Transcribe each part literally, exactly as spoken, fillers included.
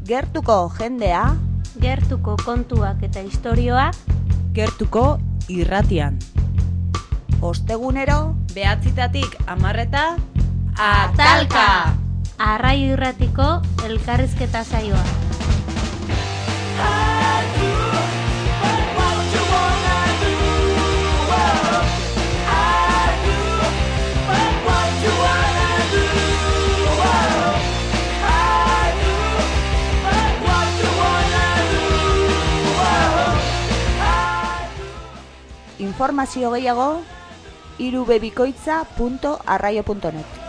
Gertuko jendea, gertuko kontuak eta istorioak, gertuko irratian. Ostegunero, behatzitatik hamarreta, atalka! Arraio Irratiko elkarrizketa saioa. Informazio gehiago, irubebikoitza punto arraio punto net.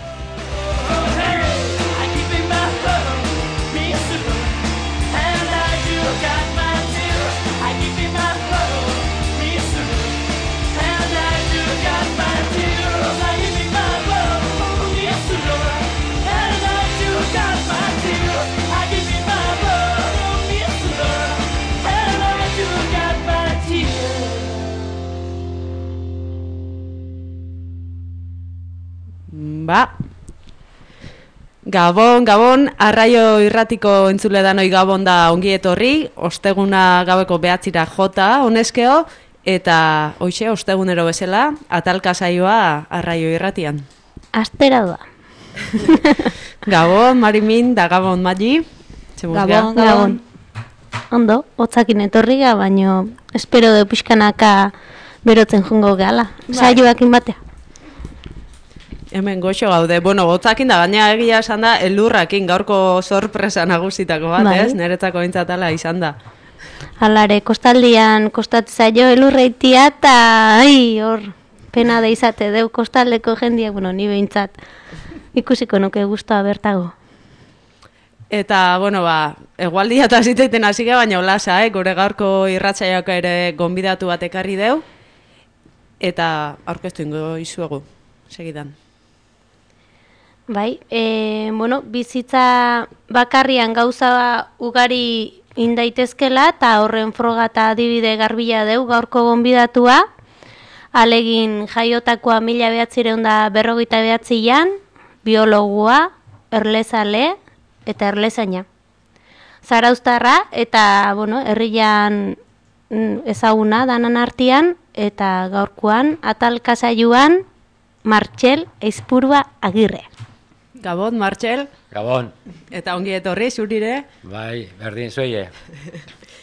Ba, Gabon, Gabon, Arraio Irratiko entzule danoi Gabon da ongi etorri, osteguna gaueko behatzira jota, honezkeo, eta hoxe, ostegunero bezala, atalka saioa Arraio Irratian. Astera da. Gabon, Marimin, da Gabon, Magi. Gabon, Gabon. Ondo, hotzakin etorriga, baino espero de pixkanaka berotzen jungo gala. Saioakin batea. Hemen goxo gaude. Bueno, gotzakin da, baina egia esan da, elurrakin gaurko sorpresa nagusitako bat, bai. Ez? Niretzako bintzatala izan da. Alare, kostaldian kostatzaio elurreitia eta, ai, hor, pena da izate, deu kostaldeko jendiak, bueno, ni behintzat, ikusiko nuke guztua bertago. Eta, bueno, ba, egualdia eta ziteiten hasi ge, baina olasa, eh? Gure gaurko irratzaiak ere gonbidatu bat ekarri deu, eta aurkeztu ingo izuegu, segidan. Bai, e, bueno, bizitza bakarrian gauza ugari indaitezkela eta horren froga eta adibide garbila deu gaurko gonbidatua, alegin jaiotakoa mila behatzireun da berrogeita behatzian, biologua, erlezale eta erlezaina. Zarauztarra eta, bueno, herrian ezaguna danan artean eta gaurkoan atalka saioan Martxel Eizpurua Agirre. Gabon, Martxel. Gabon. Eta ongi etorri, zurire. Bai, berdin zuei.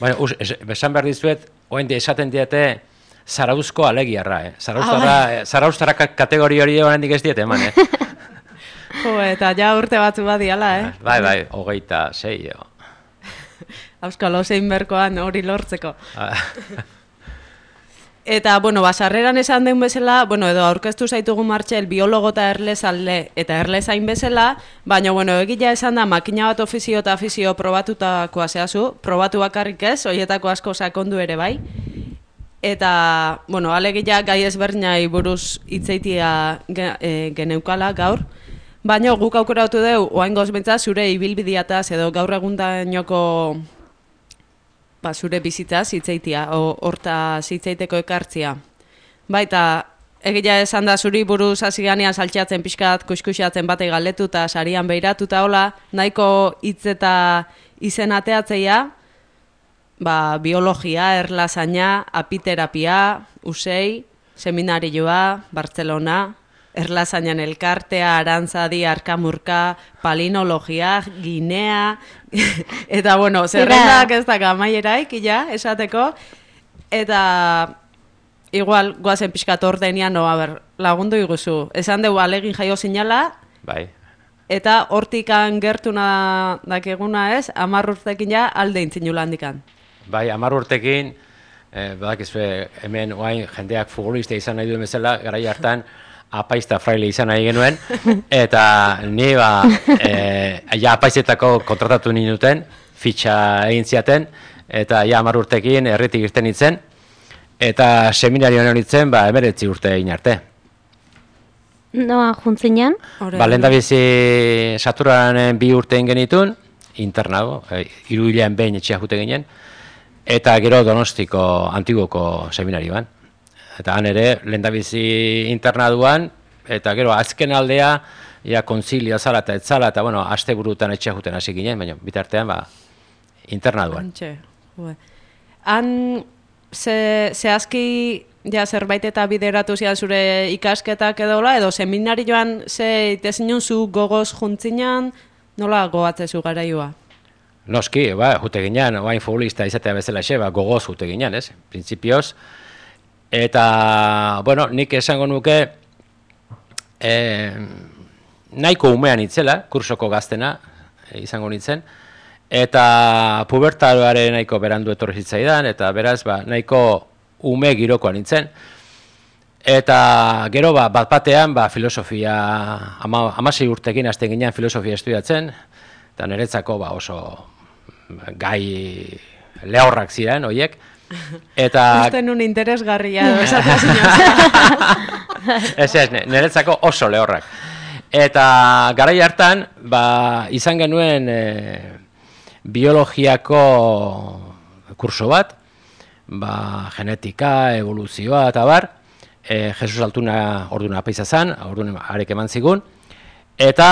Bueno, us, es, besan berdin zuet, oende esaten diete Zarauzko alegiarra, eh? Zarauztarra, ah, bai. Zarauztarra kategori hori oraindik ez diete eman, eh? Jo, eta ja urte batzu badiala, eh? Bai, bai, hogeita sei, jo. Auskalo zein berkoan hori lortzeko. Eta, bueno, basarreran esan den bezala, bueno, edo aurkeztu zaitugu Martxel biologo eta erlezalde eta erlezain bezala, baina, bueno, egila esan da makina bat ofizio eta afizio probatutakoa zehazu, probatu bakarrik ez, horietako asko sakondu ere bai. Eta, bueno, alegia gai ezberdinai buruz hitzeitia e, geneukala gaur, baina guk aukeratu deu, oaingoz bentsa zure ibilbidiataz edo gaur egundainoko ba, zure bizitzaz hitzeitia, horta hitzeiteko ekartzia. Baita, egia esan da zuri buruz hasi ganean saltxatzen pixkat kuskusatzen batei galdetu eta sarian behiratuta hola, nahiko hitz eta izen ateatzeia, ba, biologia, erlazaina, apiterapia, usei, seminarioa, Bartzelona, erlazainan elkartea, arantzadi, arkamurka, palinologia, ginea, eta bueno, zerrendak ez da gamaieraik, ja, esateko, eta igual, guazen pixkat ordenian, no, a ber, lagundu iguzu, esan dugu alegin jaio zinala, bai. Eta hortikan gertuna dakeguna ez, hamar urtekin ja alde intzinula handikan. Bai, hamar urtekin, eh, badakizue, hemen oain jendeak futbolista izan nahi duen bezala, garai hartan, apaizta fraile izan nahi genuen, eta ni ba, e, ja apaizetako kontratatu ninuten, fitxa egin ziaten, eta ja hamar urtekin herritik irten nintzen, eta seminarioan horitzen, ba, emeretzi urte egin arte. Noa, juntzinean? Ba, lehendabizi saturanen bi urte egin genitun, internago, e, hiru hilean behin etxea jute ginen, eta gero Donostiko Antigoko seminarioan. Eta han ere, lehendabizi internaduan, eta gero azken aldea, ja konzilio zala eta etzala, eta bueno, aste burutan etxea juten hasi ginen, baina bitartean, ba, internaduan. Antxe, jue. Han, ze, zehazki, ja, zerbait eta bideratu zian zure ikasketak edola, edo seminarioan ze itezinun zu gogoz juntzinan, nola gogatzezu garaioa? Noski, ba, jute ginean, oain futbolista izatea bezala xe, ba, gogoz jute ginean, ez? Printzipioz. Eta, bueno, nik esango nuke, eh, nahiko umean itzela, kursoko gaztena, eh, izango nintzen, eta pubertaroaren nahiko berandu etorri zitzaidan, eta beraz, ba, nahiko ume girokoa nintzen. Eta gero, ba, bat batean, ba, filosofia, ama, amasei urtekin hasten ginean filosofia estudiatzen, eta niretzako ba, oso gai lehorrak ziren, horiek. Eta... Usten un interesgarria esatea zinez. Ez ez, niretzako oso lehorrak. Eta garai hartan, ba, izan genuen e, biologiako kurso bat, ba, genetika, evoluzioa eta bar, e, Jesus Altuna orduan apaiza zen, orduan arek eman zigun, eta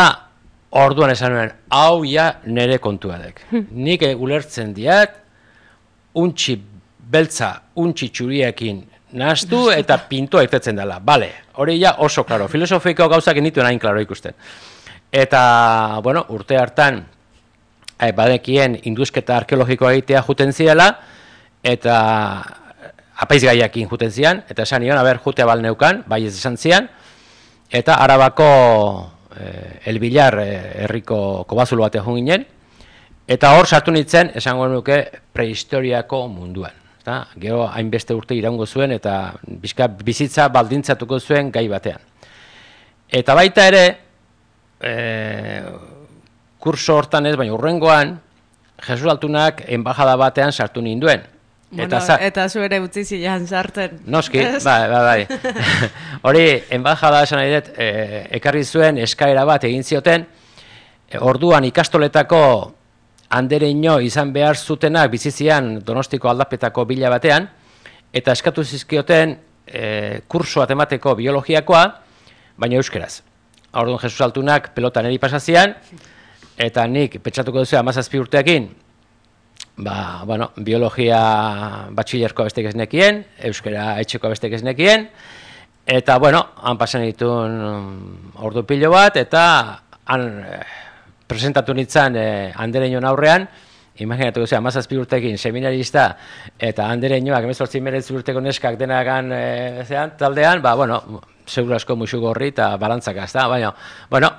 orduan esan nuen, hau ja nire kontuadek. Nik ulertzen diat, untxi beltza, untxi txuriekin nahaztu eta pintua irtetzen dela. Bale, hori ja oso klaro. Filosofiko gauzak nituen hain klaro ikusten. Eta, bueno, urte hartan, eh, badekien induzketa arkeologikoa egitea juten zirela, eta apaizgaiakin juten zian, eta esan nion, aber, jutea bal neukan, bai ez esan zian, eta Arabako eh, Elbilar eh, herriko kobazulo batean joan ginen, eta hor sartu nintzen, esango nuke, prehistoriako munduan. Eta, gero hainbeste urte iraungo zuen, eta bizka bizitza baldintzatuko zuen gai batean. Eta baita ere, e, kurso hortan ez, baina urrengoan, Jesus Altunak enbajada batean sartu ninduen. Bueno, eta, eta zu ere utzi zilean sartzen. Noski, bai, bai, bai. Hori, enbajada esan nahi dut, e, ekarri zuen eskaera bat egin zioten, e, orduan ikastoletako andereino izan behar zutenak bizizian Donostiko aldapetako bila batean, eta eskatu zizkioten e, kursoa temateko biologiakoa, baina euskeraz. Orduan Jesus Altunak pelotan eri pasazian, eta nik pentsatuko duzu hamazazpi urteekin, ba, bueno, biologia batxilerkoa bestek ez nekien, euskera etxekoa bestek ez nekien, eta, bueno, han pasan ditun ordu pilo bat, eta han presentatu nintzen eh, andereinoan aurrean, imaginatu guzea, hamazazpi urtekin seminarista, eta andereinoak, emezortzi meretzi urteko neskak denagan eh, zean, taldean, ba, bueno, segura asko musu gorri eta balantzak azta, baina, bueno,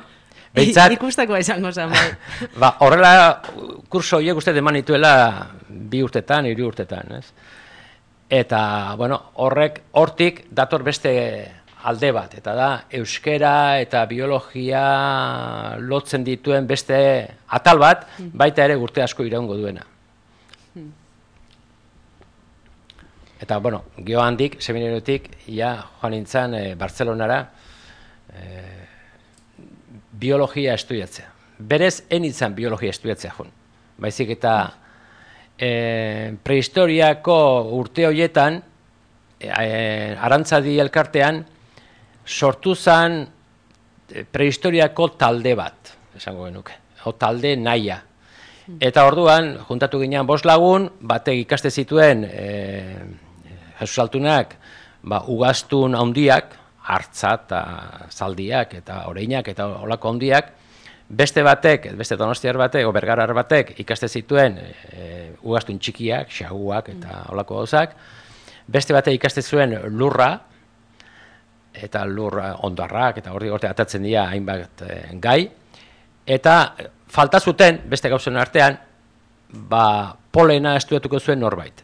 behitzat... Ikustako izango zen, bai. Ba, horrela, kurso horiek uste eman nituela bi urtetan, hiru urtetan, ez? Eta, bueno, horrek, hortik dator beste alde bat, eta da, euskera eta biologia lotzen dituen beste atal bat, baita ere urte asko iraungo duena. Eta, bueno, geho handik, seminarotik, ja, joan nintzen e, Bartzelonara e, biologia estudiatzea. Berez, enitzen biologia estudiatzea joan. Baizik eta e, prehistoriako urte horietan, e, e, Arantzadi elkartean, sortu zen prehistoriako talde bat, esango genuke, o talde naia. Eta orduan, juntatu ginean bost lagun, batek ikaste zituen e, Jesus Altunak, ba, ugaztun handiak, hartza eta zaldiak eta oreinak eta olako handiak, beste batek, beste donostiar batek, o bergarar batek ikaste zituen e, ugaztun txikiak, xaguak eta olako gauzak, beste batek ikaste zuen lurra, eta lur ondarrak, eta horri horte atatzen dira hainbat e, gai, eta falta zuten, beste gauzen artean, ba, polena estudiatuko zuen norbait.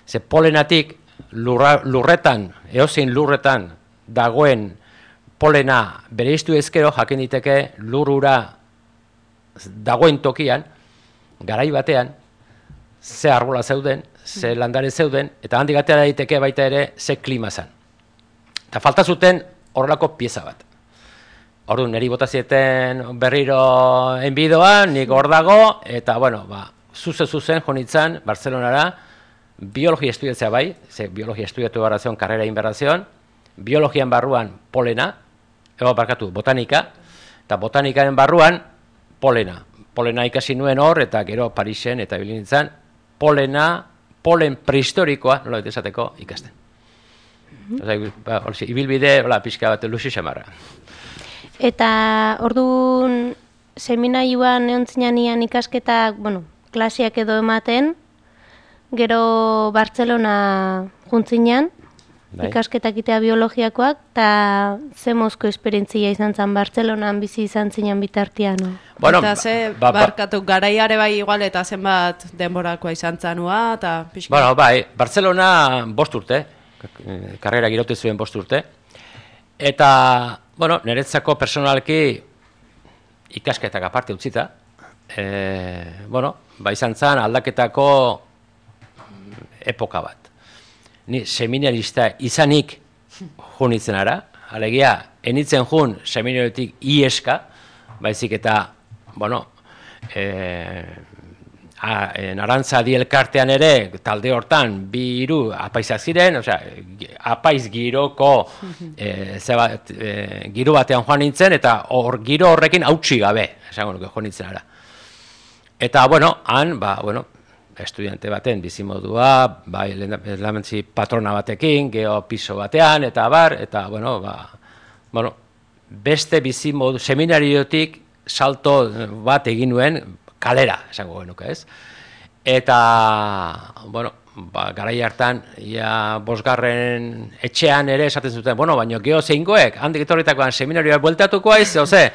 Ze polenatik lurra, lurretan, eozein lurretan dagoen polena bereiztu ezkero jakin diteke lurura dagoen tokian, garai batean, ze arbola zeuden, ze landare zeuden, eta handik atera daiteke baita ere ze klima zen. Eta falta zuten horrelako pieza bat. Orduan, niri bota zieten berriro enbidoan, nik hor dago, eta, bueno, ba, zuze-zuzen jonitzen Bartzelonara, biologia estudiatzea bai, ze biologia estudiatu barrazion, karrera inberrazion, biologian barruan polena, ego barkatu, botanika, eta botanikaren barruan polena. polena ikasi nuen hor, eta gero Parisen eta ibili nintzen, polena, polen prehistorikoa, nola bete esateko, ikasten. Osa, ba, orsi, ibilbide, hola, pixka bat, luzi xamarra. Eta orduan seminarioan eontzinan ikasketak, bueno, klasiak edo ematen, gero Bartzelona juntzinan, Bai. ikasketak itea biologiakoak, eta ze mozko esperientzia izan zen Bartzelonan bizi izan zinan bitartian. No? Bueno, eta ze ba, ba, barkatu garaiare bai igual eta zenbat denborakoa izan zanua, eta pixka. Bueno, bai, Bartzelona bost urte, karrera girote zuen bost urte, eta, bueno, niretzako personalki ikasketak aparte utzita, e, bueno, ba izan zen aldaketako epoka bat. Ni seminarista izanik junitzen ara, alegia, enitzen jun seminariotik ieska, baizik eta, bueno, e, a, en Arantzadi elkartean ere, talde hortan, bi hiru apaizak ziren, osea, apaiz giroko e, zebat, e, giro batean joan nintzen, eta hor giro horrekin hautsi gabe, esango nuke joan nintzen ara. Eta, bueno, han, ba, bueno, estudiante baten bizimodua, bai, lamentzi patrona batekin, geho piso batean, eta bar, eta, bueno, ba, bueno, beste bizimodu, seminariotik salto bat egin nuen kalera, esango genuke, ez? Eta, bueno, ba, garai hartan, ja, bosgarren etxean ere esaten zuten, bueno, baino geho zeingoek, handik etorritakoan seminarioak bueltatuko aiz, oze?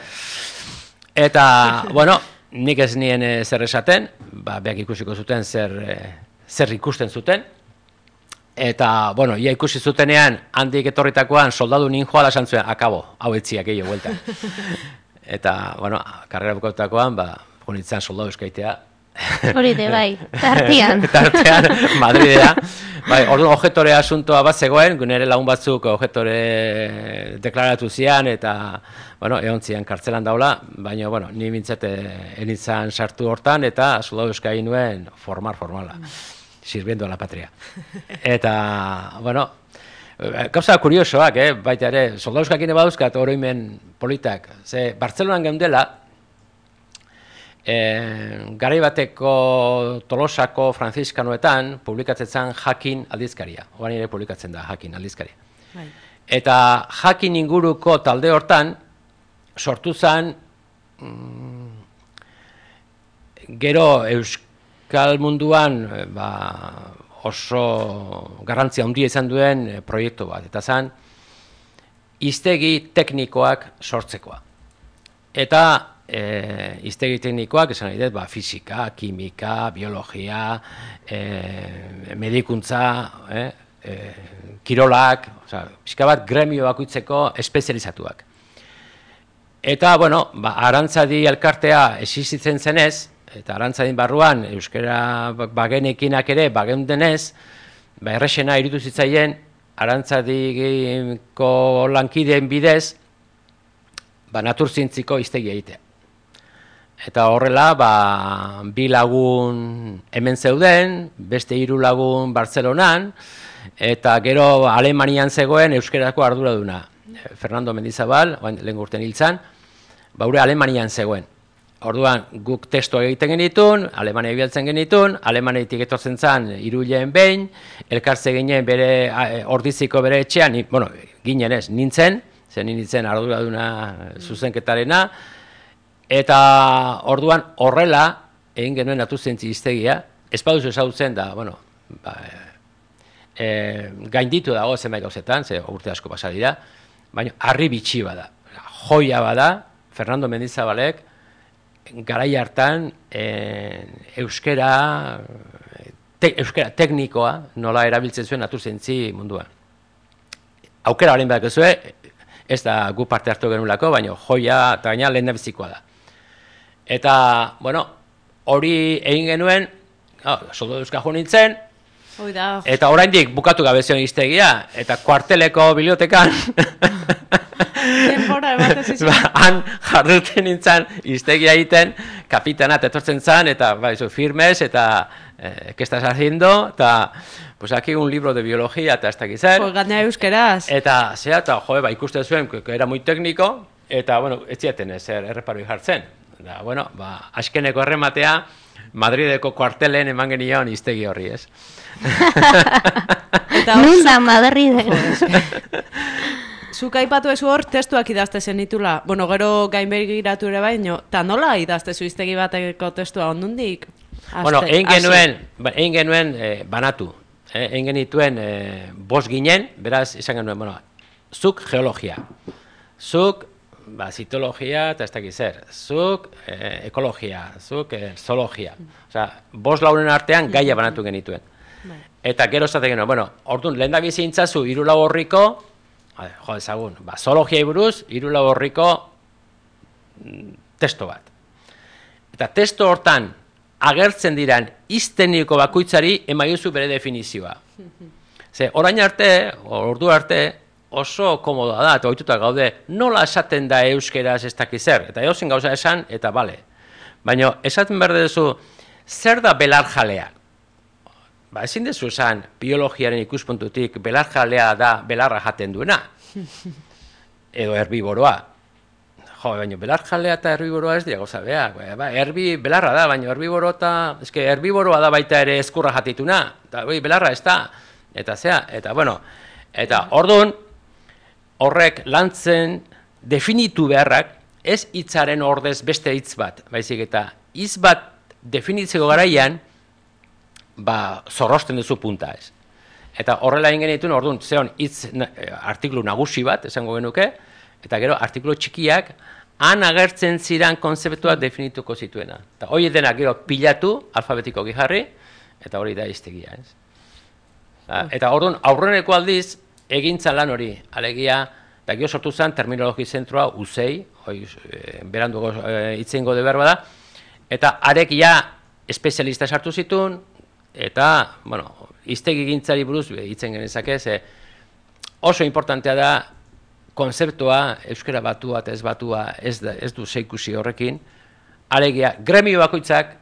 Eta, bueno, nik ez nien e, zer esaten, ba, beak ikusiko zuten zer, e, zer ikusten zuten, eta, bueno, ia ikusi zutenean, handik etorritakoan soldadu ninjoala esan zuen, akabo, hau etziak egio buelta. Eta, bueno, karrera bukautakoan, ba, junitzen soldadu eskaitea. Hori de, bai, tartean. Tartean, Madridea. Bai, orduan objektore asuntoa bat zegoen, nire lagun batzuk objektore deklaratu zian, eta, bueno, egon zian kartzelan daula, baina, bueno, ni mintzete enitzan sartu hortan, eta soldadu eskai nuen formar formala, sirviendo a la patria. Eta, bueno, gauza kuriosoak, eh? Baita ere, soldadu eskakine baduzkat oroimen politak, ze Bartzelonan geundela, E, garai bateko Tolosako Frantziskanoetan publikatzen Jakin aldizkaria. Oan ere publikatzen da Jakin aldizkaria. Bai. Eta Jakin inguruko talde hortan sortu zen mm, gero Euskal munduan ba, oso garrantzia handia izan duen proiektu bat. Eta zen hiztegi teknikoak sortzekoa. Eta E, hiztegi teknikoak, esan nahi dut, ba, fisika, kimika, biologia, e, medikuntza, e, e, kirolak, oza, pixka bat gremio bakoitzeko espezializatuak. Eta, bueno, ba, Arantzadi elkartea existitzen zenez, eta Arantzadin barruan euskara bagenekinak ere bageundenez, ba, errexena irutu zitzaien Arantzadiko lankideen bidez, ba, naturzientziko hiztegi egitea. Eta horrela, ba, bi lagun hemen zeuden, beste hiru lagun Bartzelonan, eta gero Alemanian zegoen euskerako arduraduna. Fernando Mendizabal, lehen urten hiltzan, ba, ure Alemanian zegoen. Orduan, guk testoa egiten genitun, Alemania bialtzen genitun, Alemaniatik etortzen zan hiruileen behin, elkartze ginen bere, ordiziko bere etxean, bueno, ginen ez, nintzen, zen nintzen arduraduna zuzenketarena, eta orduan horrela, egin genuen naturzientzi hiztegia, ez baduzu ezagutzen da, bueno, ba, e, gainditu dago zenbait gauzetan, ze urte asko pasa dira, baina harri bitxi bada, joia bada, Fernando Mendizabalek, garai hartan e, euskera, te, euskera teknikoa nola erabiltzen zuen naturzientzi munduan. Aukera haren behar gezue, ez da gu parte hartu genulako, baina joia eta gaina lehen bizikoa da. Eta, bueno, hori egin genuen, oh, soldadu euskal jo nintzen, eta oraindik bukatu gabe zion hiztegia, eta kuarteleko bibliotekan, ba, han jarduten nintzen hiztegia egiten, kapitana etortzen zen, eta ba, eso, firmes, eta eh, ¿qué estás haciendo? Eta, pues aquí un libro de biología, eta ez dakit zer. Pues gana euskeraz. Eta, zera, eta, joe, ba, ikusten zuen, que era muy técnico, eta, bueno, ez ziaten ezer erreparoi jartzen. Da, bueno, ba, askeneko errematea, Madrideko kuartelen eman genion iztegi horri, ez? Nun da Madrid? Zuk aipatu ezu hor, testuak idazte zenitula. Bueno, gero gainbegiratu ere baino, eta nola idazte zu iztegi bateko testua ondundik? Bueno, egin genuen, egin genuen eh, banatu. Eh, egin genituen eh, bost ginen, beraz, izan genuen, bueno, zuk geologia, zuk ba, zitologia eta ez dakiz zer, zuk eh, ekologia, zuk eh, zoologia. Osea, bost lauren artean gaia banatu genituen. Eta gero esaten genuen, bueno, orduan, lehen da bizintzazu hiru lau horriko, jo ezagun, ba, zoologiai buruz, hiru lau horriko mm, testo bat. Eta testo hortan agertzen diran izteniko bakoitzari emaiozu bere definizioa. Ze, orain arte, ordu arte, oso komodoa da, eta ohituta gaude, nola esaten da euskeraz ez dakiz zer, eta edozein gauza esan, eta bale. Baina, esaten behar duzu, zer da belarjalea? Ba, ezin dezu esan, biologiaren ikuspuntutik, belarjalea da belarra jaten duena. Edo herbiboroa. Jo, baina belarjalea eta herbiboroa ez dira gauza beak. Ba, herbi belarra da, baina herbiboro eta, eske, herbiboroa da baita ere eskurra jatituna. Eta, bai, belarra ez da. Eta zea, eta, bueno, eta orduan, horrek lantzen definitu beharrak, ez hitzaren ordez beste hitz bat, baizik eta hitz bat definitzeko garaian, ba, zorrosten duzu punta ez. Eta horrela egin genituen, orduan, zeon hitz artikulu nagusi bat, esango genuke, eta gero artikulu txikiak, han agertzen ziran konzeptuak definituko zituena. Eta hori denak gero pilatu, alfabetiko gijarri, eta hori da iztegia ez. Eta orduan, aurreneko aldiz, egintza lan hori, alegia, eta gero sortu zen terminologi zentroa uzei, hoi, e, beranduko hitzein gode behar bada, eta arek ja espezialista sartu zituen, eta, bueno, iztegi gintzari buruz hitzen genezake, ze oso importantea da konzeptua, euskera batua eta ez batua ez, da, ez du zeikusi horrekin, alegia, gremio bakoitzak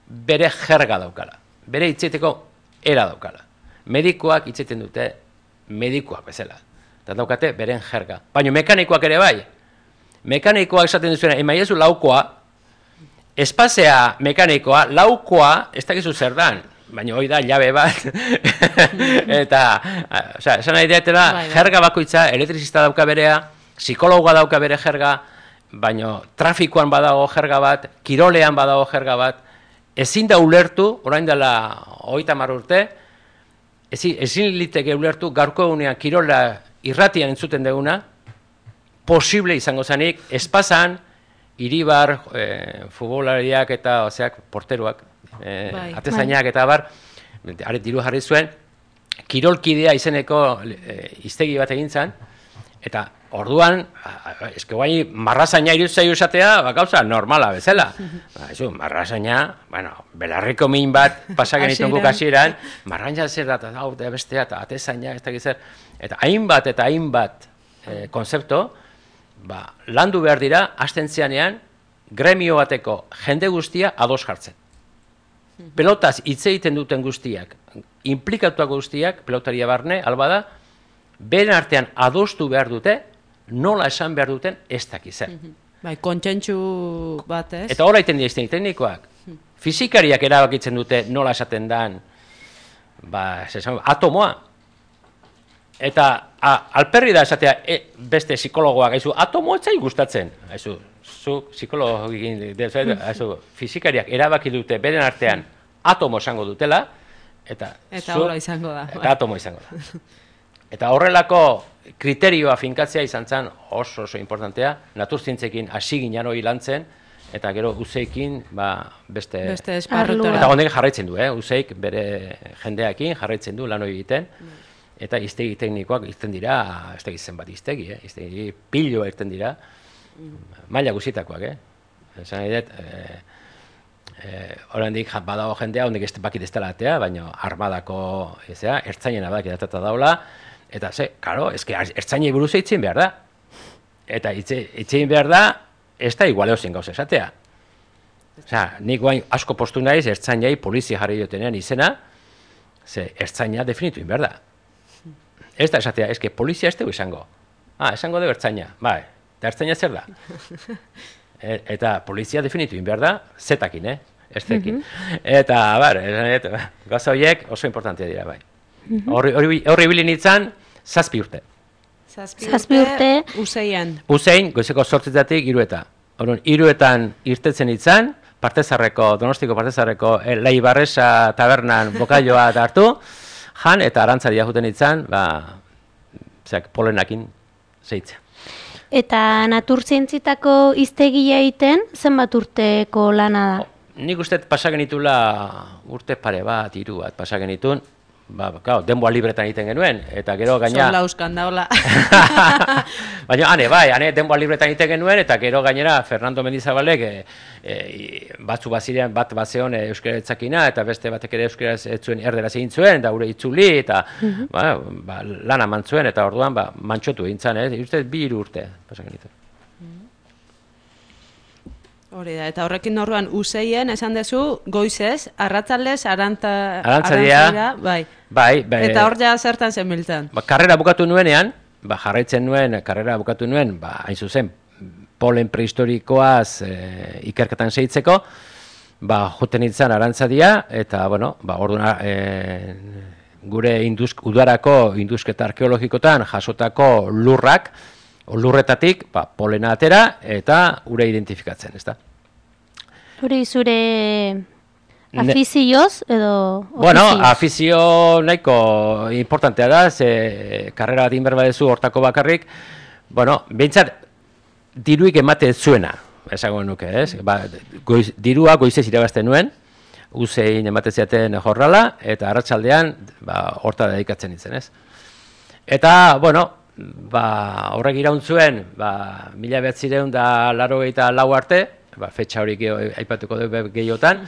bere jerga daukala, bere hitzeteko era daukala. Medikoak hitzeiten dute medikoak bezala. Eta daukate beren jerga. Baina mekanikoak ere bai. Mekanikoak esaten duzuena, emaiezu laukoa, espazea mekanikoa, laukoa, ez dakizu zer dan. Baina hori da, jabe bat. Eta, osea, esan nahi diatela, jerga bakoitza, elektrizista dauka berea, psikologa dauka bere jerga, baina trafikoan badago jerga bat, kirolean badago jerga bat, ezin da ulertu, orain dela hogeita hamar urte, ezin, ezin liteke ulertu, gaurko egunean kirola irratian entzuten deguna, posible izango zanik, espazan, Iribar, eh, futbolariak eta oseak, porteruak, eh, bai, atezainak eta bar, aret diru jarri zuen, kirolkidea izeneko eh, iztegi bat egin zen, eta orduan, eske guai, marrazaina irutzaiu esatea, ba, gauza normala bezala. Ba, ez du, marrazaina, bueno, belarriko min bat pasagen itungu kasieran, marraina zer da, eta hau, bestea, eta atezaina, ez da gizzer, eta hainbat eta hainbat eh, konzepto, ba, landu behar dira, astentzianean, gremio bateko jende guztia ados jartzen. Pelotaz hitz egiten duten guztiak, implikatuak guztiak, pelotaria barne, albada, beren artean adostu behar dute, nola esan behar duten ez dakizen. Bai, kontsentsu bat ez? Eta hori egiten dira teknikoak. Fizikariak erabakitzen dute nola esaten dan, ba, atomoa. Eta a, alperri da esatea e, beste psikologoak, haizu, atomo ez zai gustatzen. Haizu, zu psikologik, fizikariak erabaki dute beren artean atomo esango dutela, eta, eta zu, izango da. Eta atomo izango da. Eta horrelako kriterioa finkatzea izan zen oso oso importantea, naturzientzekin hasi ginen hori lantzen, eta gero uzeikin ba, beste... Beste esparrutora. Eta honek jarraitzen du, eh? Uzeik bere jendeakin jarraitzen du lan hori egiten, eta iztegi teknikoak irten dira, ez da zen bat iztegi, eh? Iztegi piloa irten dira, maila guzitakoak, eh? Esan nahi dut, eh, eh, oraindik badago jendea, honek ez bakit ez dela atea, baina armadako, ezea, ertzainena badak edatata daula, eta ze, karo, ezke ertzainei buruz eitzien behar da. Eta eitzien behar da, ez da igualeo zen gauz esatea. Osea, nik guain asko postu naiz, ertzainei polizia jarri dutenean izena, ze ertzaina definitu behar da. Ez da esatea, ezke polizia ez dugu izango. Ah, esango dugu ertzaina, bai, eta ertzaina zer da? e, eta polizia definitu egin behar da, zetakin, eh? Ez zekin. Mm-hmm. Eta, bar, eta, gauza horiek oso importantea dira, bai. Horri mm-hmm. ibili nintzen, zazpi urte. Zazpi Zazpi urte. Useien. Usein, goizeko sortzetatik irueta. Horren, iruetan irtetzen nintzen, Partezarreko, Donostiko Partezarreko eh, Leibarresa tabernan bokaioa hartu, jan eta arantzaria juten nintzen, ba, zeak, polenakin zeitzea. Eta naturzientzitako hiztegia egiten, zenbat urteko lana da? Nik uste pasagen itula urte pare bat, hiru bat pasagen itun, ba, claro, denboa libretan egiten genuen, eta gero gaina... Zola euskan daula. Baina, ane, bai, ane, denboa libretan egiten genuen, eta gero gainera Fernando Mendizabalek e, e, batzu bazirean bat bazeon e, euskara etzakina, eta beste batek ere euskara ez zuen erderaz egin zuen, da gure itzuli, eta mm-hmm. ba, ba, lana mantzuen, eta orduan ba, mantxotu egin zan, eh? Uste bi hiru urte pasagen itun. Hori da, eta horrekin orduan useien esan dezu goizez, arratzaldez, aranta, arantzadia, bai. Bai, bai. Eta hor ja zertan zen biltzen. Ba, karrera bukatu nuenean, ba, jarraitzen nuen, karrera bukatu nuen, ba, hain zuzen, polen prehistorikoaz e, ikerketan seitzeko, ba, joten nintzen arantzadia, eta, bueno, ba, orduan, e, gure induzk, udarako indusketa arkeologikotan jasotako lurrak, lurretatik, ba, polena atera eta ure identifikatzen, ezta? Hori zure afizioz edo ofizioz? Bueno, afizio nahiko importantea da, ze karrera bat inber badezu hortako bakarrik, bueno, behintzat diruik emate zuena, esango nuke, ez? Ba, goiz, dirua goizez irabazten nuen, usein emate ziaten jorrala, eta arratsaldean ba, horta dedikatzen nintzen, ez? Eta, bueno, ba, horrek iraun zuen, ba, mila behatzireun da laurogeita lau arte, ba, fetxa hori aipatuko du gehiotan,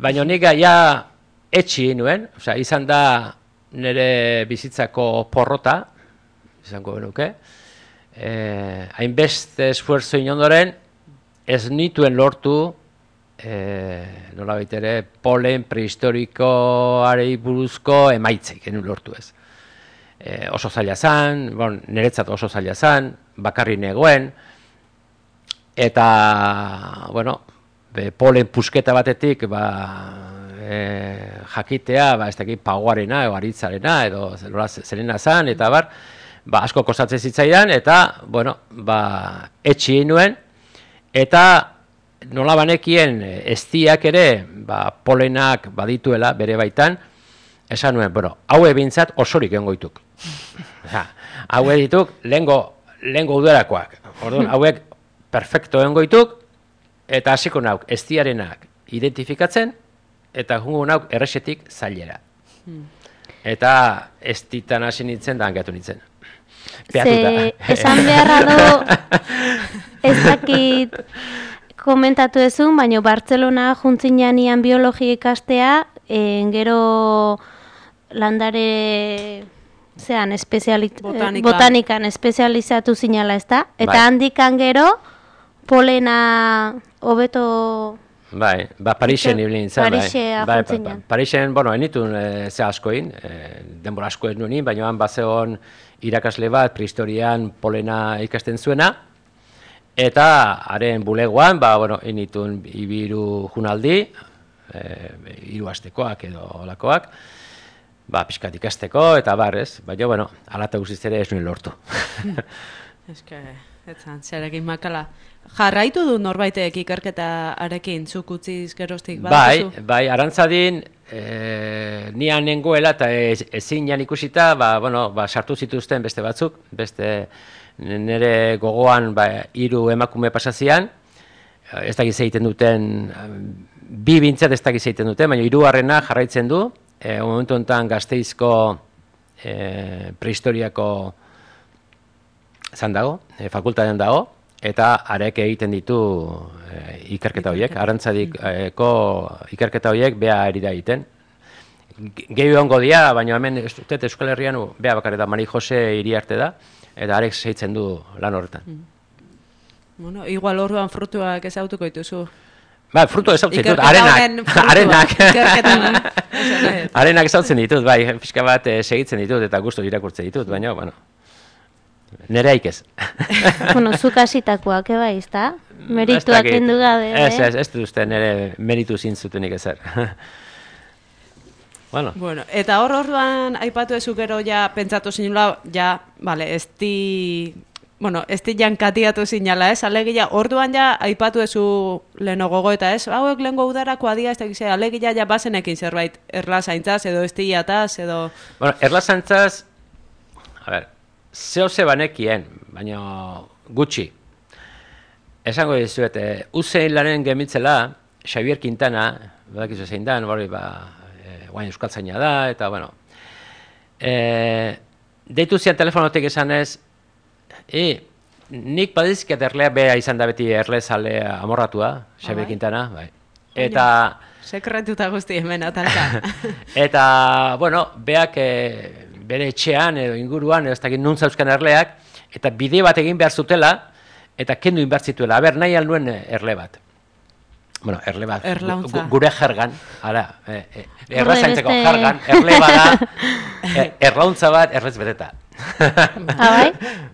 baina nik ja etxi nuen, osea, izan da nire bizitzako porrota, izango benuke, eh, hainbeste esfuerzo inondoren, ez nituen lortu, eh, nola baitere, polen prehistorikoarei buruzko emaitzik, genuen lortu ez. E, oso zaila zan, bon, niretzat oso zaila zan, bakarri negoen, eta, bueno, be, polen pusketa batetik, ba, e, jakitea, ba, ez dakit paguarena, edo aritzarena, edo zerena zan, eta bar, ba, asko kostatzen zitzaidan, eta, bueno, ba, etxi nuen, eta nola banekien eztiak ere, ba, polenak badituela bere baitan, esan nuen, bueno, haue bintzat osorik egon goituk. Ja, haue dituk lehengo, lehengo udarakoak. Orduan, hauek perfecto egon goituk, eta hasiko nauk eztiarenak identifikatzen, eta jungo nauk erresetik zailera. Eta ez ditan hasi nintzen, da hangatu nintzen. Ze, esan beharra do, ez dakit komentatu ezun, baina Bartzelona juntzinean biologia ikastea, en, gero landare zean espezialit, Botanika. botanikan espezializatu zinala, ez da? Eta bai. handikan gero polena hobeto... Bai, ba, Parixen ibili nintzen, bai. Parixea Bai, juntzinean. Parixen, bueno, enitun e, ze askoin, e, denbora asko ez nuen, baina han bazeon irakasle bat prehistorian polena ikasten zuena, eta haren bulegoan, ba, bueno, enitun ibiru junaldi, e, hiru astekoak edo olakoak, ba, pixkat ikasteko, eta bar, ez? Baina, bueno, alata guziz ere ez nuen lortu. Eske, etzan, zerekin makala. Jarraitu du norbaitek ikerketa arekin, zuk utziz geroztik Bai, badazu? bai, arantzadin, e, nian nengoela eta ez, ezin jan ikusita, ba, bueno, ba, sartu zituzten beste batzuk, beste nire gogoan ba, hiru emakume pasazian, ez dakiz egiten duten, bi bintzat ez dakiz egiten duten, baina hirugarrena jarraitzen du, e, momentu honetan Gasteizko e, prehistoriako zan dago, e, fakultatean dago, eta arek egiten ditu e, ikerketa horiek, arantzadiko ikerketa horiek beha eri da egiten. Gehi hongo dia, baina hemen ez dut Euskal Herrian beha bakarri da, Mari Jose Iriarte da, eta arek zeitzen du lan horretan. Bueno, igual orduan frutuak ezautuko dituzu. Ba, frutu ezautzen ditut, Ikerketa horren arenak, frutuak, arenak. ikerketan. Arenak ezautzen ditut, bai, pixka bat eh, segitzen ditut, eta gustu irakurtzen ditut, baina, bueno, nere haik ez. Bueno, zuk hasitakoak, eba, izta? Merituak kendu gabe, Ez, eh? ez, ez dut uste nire meritu zintzutenik ezer. Bueno. Bueno, eta hor orduan aipatu ezu gero ja pentsatu zinula, ja, vale, ez di, bueno, ez di jankatiatu zinala, ez? Alegia, orduan ja aipatu ezu leheno gogo eta ez, hauek lehengo udarako adia, ez da gizea, alegia ja bazenekin zerbait erlazaintzaz edo estiataz edo... Bueno, erlazaintzaz, a ver, zeo ze banekien, baina gutxi. Esango dizuet, e, uzein lanen gemitzela, Xavier Quintana, badakizu zein dan, bori, ba, e, guain euskaltzaina da, eta, bueno, e, deitu zian telefonotik esan ez, e, nik badizkiat erlea bea izan da beti erlezale amorratua, Xavier Quintana, bai. Eta... Sekretuta guzti hemen, atalka. Eta, bueno, beak e, bere etxean edo inguruan, edo ez dakit nun zauzkan erleak, eta bide bat egin behar zutela, eta kendu inbertzituela. Aber, nahi alnuen erle bat. Bueno, erle bat. Erlauntza. Gure jergan, ara, e, e, erlazaintzeko jergan, erle bada, e, erlauntza bat, erlez beteta. Ah, bai?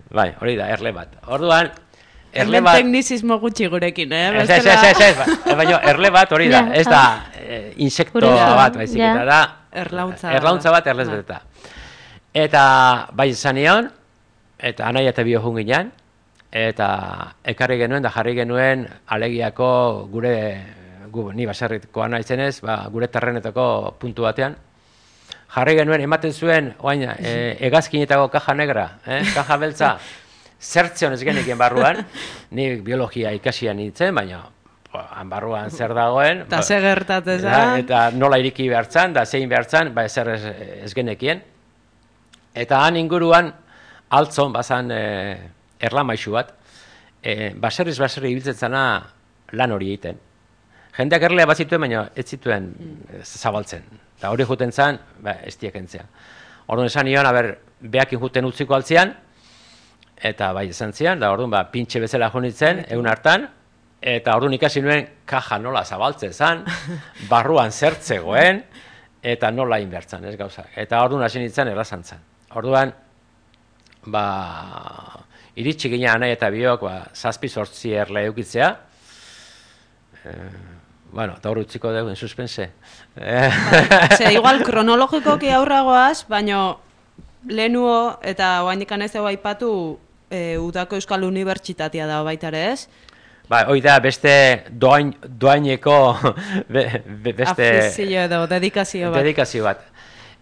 Bai, hori da, erle bat. Orduan, erle Hemen bat... teknizismo gutxi gurekin, eh? Ez, ez, ez, ez, ez, baina erle bat hori da, ez da e, insekto bat, baizik, eta da erlauntza, erlauntza bat erlez beteta. Eta bai zanion, eta anaia eta bio junginan, eta ekarri genuen da jarri genuen alegiako gure, gu, ni baserritkoa naizenez, ba, gure terrenetako puntu batean. Jarri genuen, ematen zuen, oain, e, hegazkinetako kaja negra, eh, kaja beltza, zertzion ez genekien barruan, ni biologia ikasian nintzen, baina han barruan zer dagoen. Eta ze gertatzen da, eta nola iriki behartzan, da zein behartzan, ba ezer ez, ez genekien. Eta han inguruan, altzon, bazan e, erlamaixu bat, e, baserriz baserri ibiltzen zana lan hori egiten. Jendeak erlea bat zituen, baina ez zituen mm. zabaltzen. Eta hori juten zan, ba, ez diekentzea. Orduan esan nion, aber, behakin juten utziko altzian, eta bai esan zian, da orduan ba, pintxe bezala jonitzen, egun hartan, eta orduan ikasi nuen kaja nola zabaltzen zan, barruan zertzegoen, eta nola inbertzen, ez gauza. Eta orduan hasi nintzen errazantzan. Orduan, ba, iritsi gina anai eta biok, ba, zazpi sortzi erle eukitzea, e, bueno, eta hor utziko dugu, en suspense. Ze, igual, kronologikoki aurragoaz, baina lehenuo, eta oainikan ez dugu aipatu, e, Udako Euskal Unibertsitatea da baita ere ez? Ba, hoi da, beste doain, doaineko be, be, beste... Afizio edo, dedikazio bat. Dedikazio bat.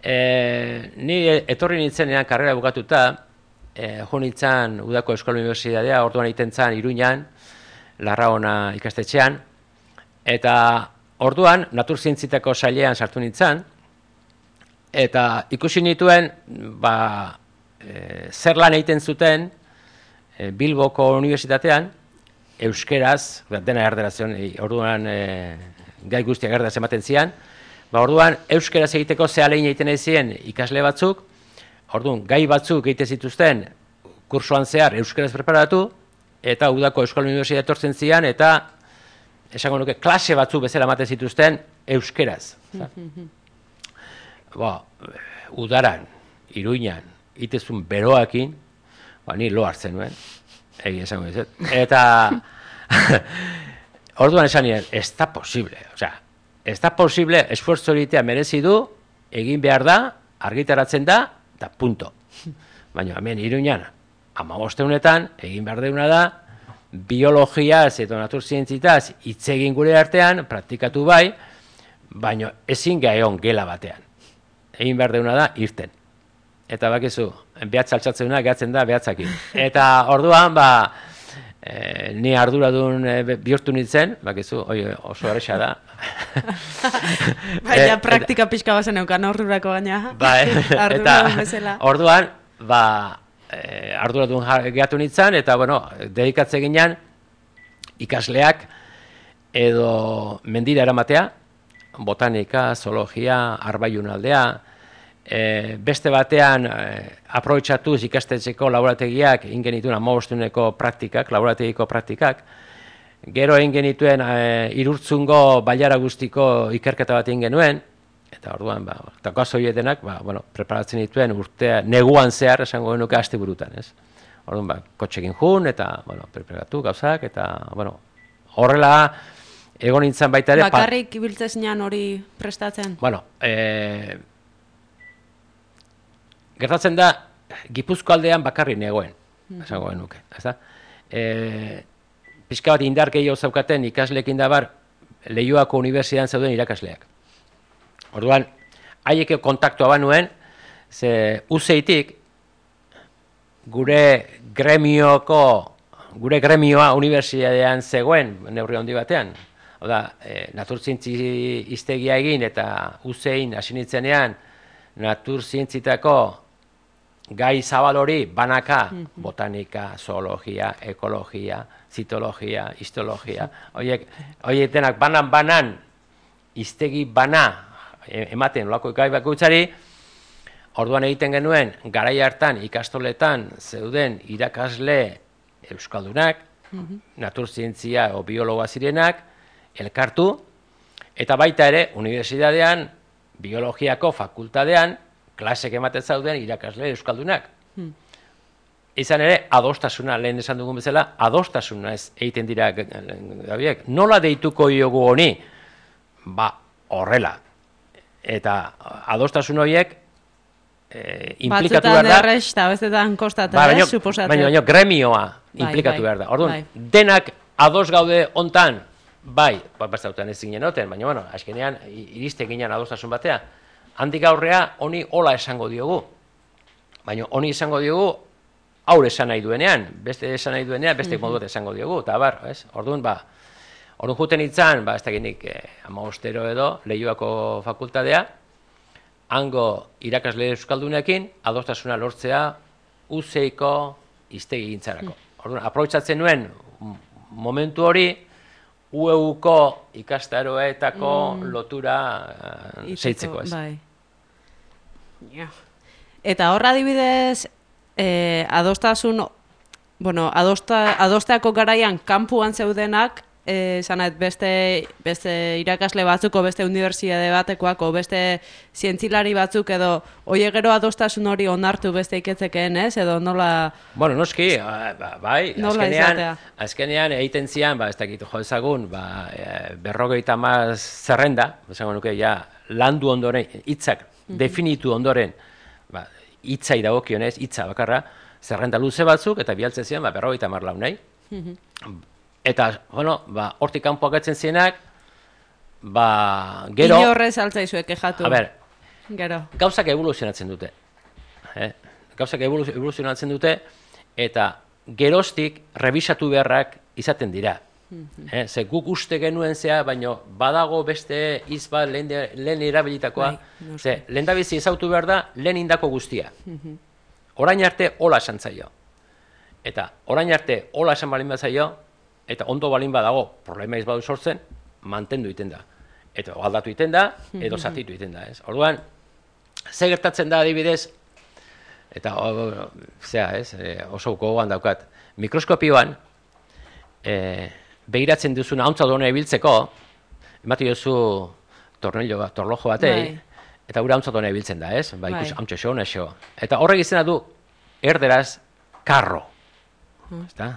E, ni etorri nintzenean karrera bukatuta, e, jo nintzen Udako Euskal Unibertsitatea, orduan egiten zen Iruñan, Larraona ikastetxean, eta orduan naturzientzitako sailean sartu nintzen, eta ikusi nituen, ba, e, zer lan egiten zuten e, Bilboko Unibertsitatean, euskeraz, dena erderazioan, e, orduan e, gai guztiak erderaz ematen zian, ba, orduan euskeraz egiteko ze alegin egiten ezien ikasle batzuk, orduan gai batzuk egiten zituzten kursoan zehar euskeraz preparatu, eta Udako Euskal Unibertsitatea etortzen zian, eta esango nuke klase batzuk bezala ematen zituzten euskeraz. Ba, udaran, Iruñan, itezun beroakin, ba, ni lo hartzen nuen, egin esango dizut. Eta, orduan esan nien, ez da posible, osea, ez da posible, esfuerzo horitea merezi du, egin behar da, argitaratzen da, eta punto. Baina, hemen Iruñan, hamabosteunetan, egin behar deuna da, biologiaz eta naturzientzitaz hitz egin gure artean, praktikatu bai, baina ezin gaion gela batean. Egin behar deuna da, irten. Eta bakizu, behatz altxatzeuna gehatzen da behatzakin. Eta orduan, ba, e, ni arduradun e, bihurtu nintzen, bakizu, oi, oso erresa da. Baina praktika pixka bazen eukan ordurako gaina. Ba, arduradun bezala. Orduan, ba, e, arduradun gehatu nintzen, eta, bueno, dedikatze ginen ikasleak edo mendira eramatea, botanika, zoologia, arbaiun aldea, e, beste batean e, aprobetxatuz ikastetxeko laborategiak ingenituen hamabostuneko praktikak, laborategiko praktikak, gero egin genituen e, irurtzungo bailara guztiko ikerketa bat egin genuen, eta orduan, ba, eta gazoietenak, ba, bueno, preparatzen dituen urtea, neguan zehar, esango genuke aste burutan, ez? Orduan, ba, kotxekin jun, eta, bueno, preparatu gauzak, eta, bueno, horrela egon nintzen baita ere... Bakarrik ibiltzezinan hori prestatzen? Bueno, e, gertatzen da, Gipuzko aldean bakarri negoen, esango genuke, ezta? E, pixka bat indar gehiago zaukaten ikasleekin da bar, Leioako Unibertsitatean zeuden irakasleak. Orduan, haiek kontaktua banuen, ze uzeitik, gure gremioko, gure gremioa unibertsitatean zegoen, neurri handi batean. Oda, e, naturzientzi iztegia egin eta uzein hasi nintzenean, naturzientzitako gai zabal hori banaka, botanika, zoologia, ekologia, zitologia, histologia, horiek, horiek denak banan-banan, iztegi bana ematen olako gai bakoitzari, orduan egiten genuen, garai hartan ikastoletan zeuden irakasle euskaldunak, naturzientzia o biologoa zirenak, elkartu, eta baita ere, unibertsitatean, biologiako fakultatean, klasek ematen zauden irakasle euskaldunak. Hmm. Izan ere, adostasuna, lehen esan dugun bezala, adostasuna ez egiten dira gabiek. Nola deituko diogu honi? Ba, horrela. Eta adostasun horiek e, implikatu behar da. Batzutan errex eta bestetan kostatzen, ba, baino, suposatzen. Baina baino, gremioa bai, implikatu bai, behar da. Orduan, bai. Denak ados gaude hontan, bai, bat bastautan ez zinen oten, baina, bueno, azkenean, iriste ginen adostasun batea. Handik aurrea, honi hola esango diogu. Baina honi esango diogu, aur esan nahi duenean, beste esan nahi duenean, beste moduet esango diogu, eta bar, ez? Orduan, ba, orduan juten itzan, ba, ez dakinik, eh, amagostero edo, Leioako fakultatea, hango irakasle euskaldunekin, adostasuna lortzea, uzeiko iztegi gintzarako. Orduan, aprobetxatzen nuen, momentu hori, U E U-ko ikastaroetako mm. lotura uh, zeitzeko, ez? Bai. Ja. Eta horra adibidez, eh, adostasun, bueno, adosta, adosteako garaian kanpuan zeudenak, eh, zanet, beste, beste irakasle batzuko, beste unibertsitate batekoako, beste zientzilari batzuk edo, oie gero adostasun hori onartu beste iketzekeen, ez? Edo nola... Bueno, noski, ba, bai, nola azkenean, izatea? azkenean egiten zian, ba, ez dakit jo ezagun, ba, e, berrogeita hamar zerrenda, esango nuke, ja, landu ondoren, hitzak mm-hmm. definitu ondoren, ba, hitzai dagokionez, hitza bakarra, zerrenda luze batzuk, eta bialtzen zian, ba, berrogeita hamar launei. Mm-hmm. Eta, bueno, ba, hortik kanpo agatzen zienak, ba, gero... Inorrez altzaizuek kexatu. A ber, gero. Gauzak evoluzionatzen dute. Eh? Gauzak evoluzionatzen dute, eta geroztik revisatu beharrak izaten dira. Mm-hmm. eh? Ze guk uste genuen zea, baina badago beste izba lehen, lehen erabilitakoa. Bai, no ze, lehen da bizi ezautu behar da, lehen indako guztia. Mm-hmm. Orain arte, hola esan zaio. Eta orain arte, hola esan balin bat zaio, eta ondo balin badago, problema izbadu sortzen, mantendu iten da. Eta aldatu iten da, edo zatitu iten da. Ez? Orduan, ze gertatzen da adibidez, eta o, zera, ez, oso gogoan daukat, mikroskopioan, e, behiratzen duzuna hauntza duen ebiltzeko, emati duzu tornillo bat, torlojo batei, bai. Eta gure hauntza duen ebiltzen da, ez? Ba, ikus, hauntza xo, nexo. Eta horrek izena du, erderaz, karro. Hmm. Ezta?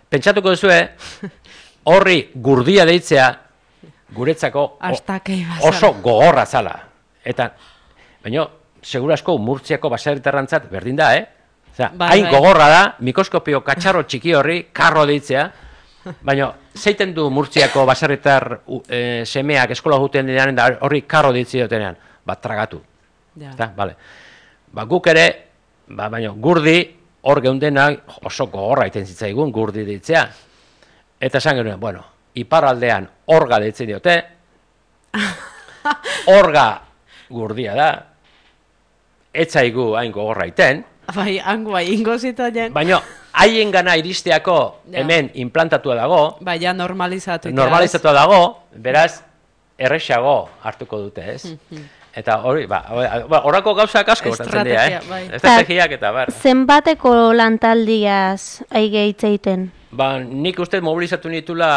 Pentsatuko duzue, horri gurdia deitzea guretzako oso gogorra zala. Eta, baina, segurasko Murtziako baserritarrantzat berdin da, eh? Osea, bai, hain bai. Gogorra da, mikroskopio katxarro txiki horri, karro deitzea, baina, zeiten du Murtziako baserritar e, semeak eskola juten dinean, da horri karro deitzea dutenean, bat tragatu. Ja. Eta, vale. Ba, guk ere, ba, baina, gurdi, hor geundenak oso gogorra iten zitzaigun gurdi ditzea. Eta esan genuen, bueno, iparraldean orga deitzen diote, orga gurdia da, etzaigu hain gogorra iten. Bai, hango bai, ingo zitaien. Baina, haien gana iristeako ja. Hemen implantatua dago. Bai, ja normalizatu. Normalizatua dago, beraz, errexago hartuko dute, ez? Eta hori, ba, horako gauzak asko gertatzen dira, eh? Bai. Estrategiak eta bar. Zenbateko lantaldiaz aige hitzeiten? Ba, nik uste mobilizatu nitula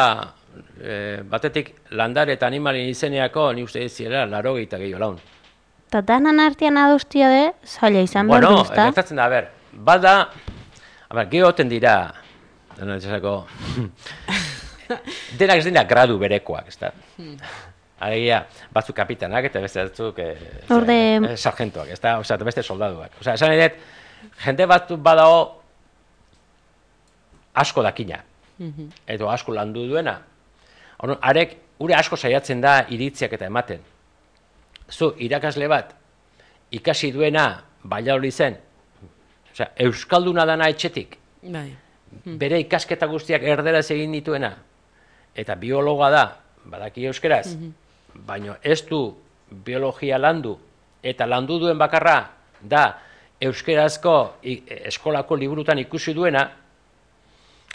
e, batetik landare eta animalien izeneako, ni uste zirela, laro gehieta gehiago laun. Eta danan artean adostia de, zaila izan behar bueno, du, ezta? Bueno, gertatzen da, a ber, bada, a ber, gehoten dira, dena etxasako, denak ez dira gradu berekoak, ez da. Alegia, batzuk kapitanak eta beste batzuk eh, Orde... eh, sargentoak, ez da, osea, beste soldaduak. Osea, esan nahi dut, jende bat badago asko dakina, edo asko landu duena. Orduan, arek, ure asko saiatzen da iritziak eta ematen. Zu, irakasle bat, ikasi duena, Valladolid zen, osea, euskalduna dana etxetik, Bai. bere ikasketa guztiak erderaz egin dituena, eta biologoa da, badaki euskeraz, baina ez du biologia landu, eta landu duen bakarra da euskerazko eskolako liburutan ikusi duena,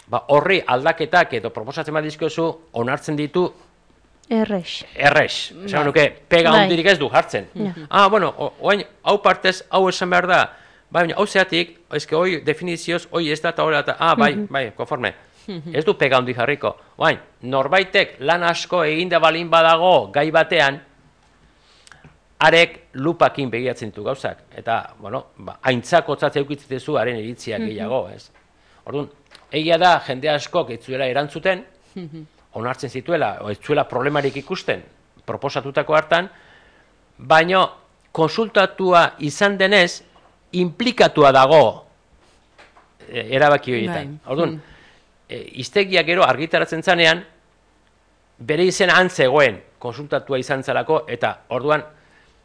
ba, horri aldaketak edo proposatzen bat dizkiozu onartzen ditu Errex. errex. Esan nuke, pega Bai. hundirik ez du jartzen. Ah, bueno, oain, hau partez, hau esan behar da, baina hau zeatik, ezke hoi definizioz, hoi ez da eta hori eta, ah, bai, bai, konforme. Ez du pega hundi jarriko. Oain, norbaitek lan asko eginda balin badago gai batean, arek lupakin begiratzen ditu gauzak. Eta, bueno, ba, aintzakotza zeukitzetezu haren iritziak gehiago, ez? Orduan, egia da, jende askok ez zuela erantzuten, onartzen zituela, o ez zuela problemarik ikusten, proposatutako hartan, baino konsultatua izan denez, implikatua dago e, erabaki horietan. Bai. Orduan, e, iztegia gero argitaratzen zanean, bere izen antzegoen konsultatua izan zelako, eta orduan,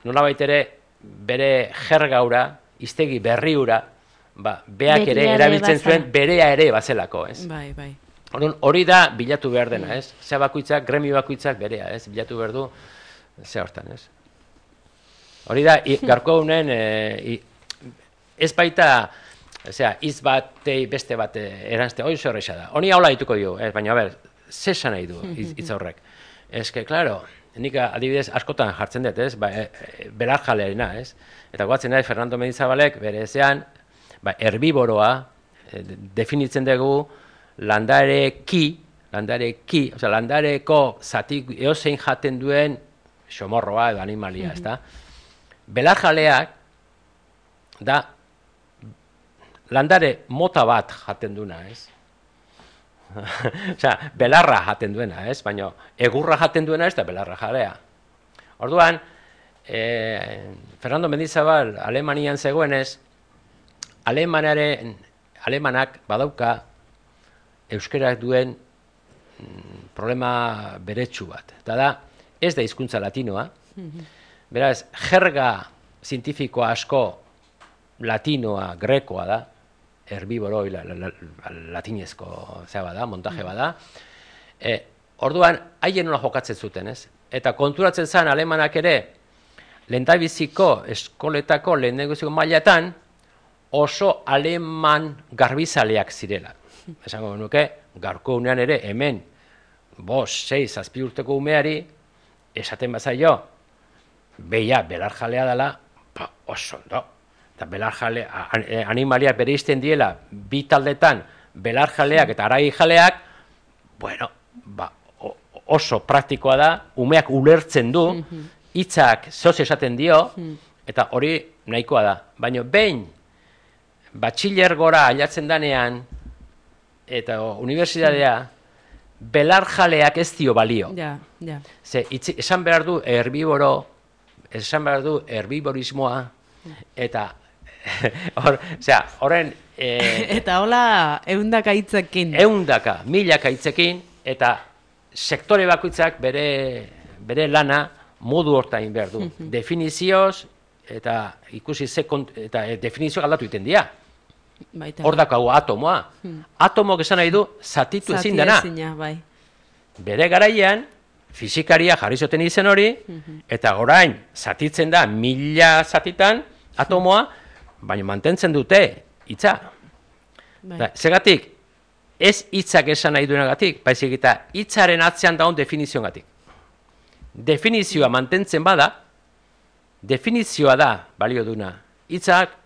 nolabait ere, bere jergaura, iztegi berriura, ba, beak ere Beria ere erabiltzen bazela. zuen, berea ere bazelako, ez? Bai, bai. Orduan, hori da bilatu behar dena, ez? Zea bakoitzak, gremio bakoitzak berea, ez? Bilatu behar du, ze hortan, ez? Hori da, i, garko honen, e, ez baita, zera, hitz batei beste bat eranzte, hori zer horreixa da. Honi haula dituko dio, ez? Baina, a ber, ze esan nahi du hitz horrek? Ez que, klaro, nik adibidez askotan jartzen dut, ez? Ba, e, e, belarjalearena, ez? Eta guatzen nahi, Fernando Mendizabalek, bere ezean, ba, herbiboroa, e, definitzen dugu, landareki, landareki, oza, landareko zatik eozein jaten duen xomorroa edo animalia, ez da? Belarjaleak da landare mota bat jaten duna, ez? Osea, belarra jaten duena, ez? Baina egurra jaten duena ez da belarra jalea. Orduan, eh, Fernando Mendizabal Alemanian zegoenez, Alemanaren, Alemanak badauka euskerak duen mm, problema beretsu bat. Eta da, ez da hizkuntza latinoa. Beraz, jerga zientifikoa asko latinoa, grekoa da, herbiboro, la, la, la, latinezko zea bada, montaje bada. E, orduan, haien nola jokatzen zuten, ez? Eta konturatzen zen alemanak ere, lehendabiziko eskoletako lehendabiziko mailatan oso aleman garbizaleak zirela. Esango nuke, gaurko unean ere, hemen, bost, sei, zazpi urteko umeari, esaten bazaio, beia, belarjalea dela, ba, oso ondo. Eta belarjale, animaliak bere izten diela, bi taldetan, belarjaleak eta aragijaleak, bueno, ba, oso praktikoa da, umeak ulertzen du, hitzak zoz esaten dio, eta hori nahikoa da. Baina behin, batxiller gora ailatzen danean, eta unibertsitatea, belarjaleak ez dio balio. Ja, ja. Ze, itzi, esan behar du herbiboro, esan behar du herbiborismoa, eta hor, osea, horren eh, Eta hola, eundaka hitzekin. eundaka, milaka hitzekin, eta sektore bakoitzak bere, bere lana modu hortain behar du. Definizioz, eta ikusi ze kont, eta e, definizioak aldatu egiten dira. Baita. Hor dakago atomoa. Atomok esan nahi du zatitu ezin dena. Zatiezina, bai. Bere garaian, fizikaria jarri zuten izen hori, eta orain zatitzen da mila zatitan atomoa, baina mantentzen dute hitza. Bai. Da, Zegatik, ez hitzak esan nahi duenagatik, baizik eta hitzaren atzean daun definizioagatik. Definizioa mantentzen bada, definizioa da balio duna. Hitzak,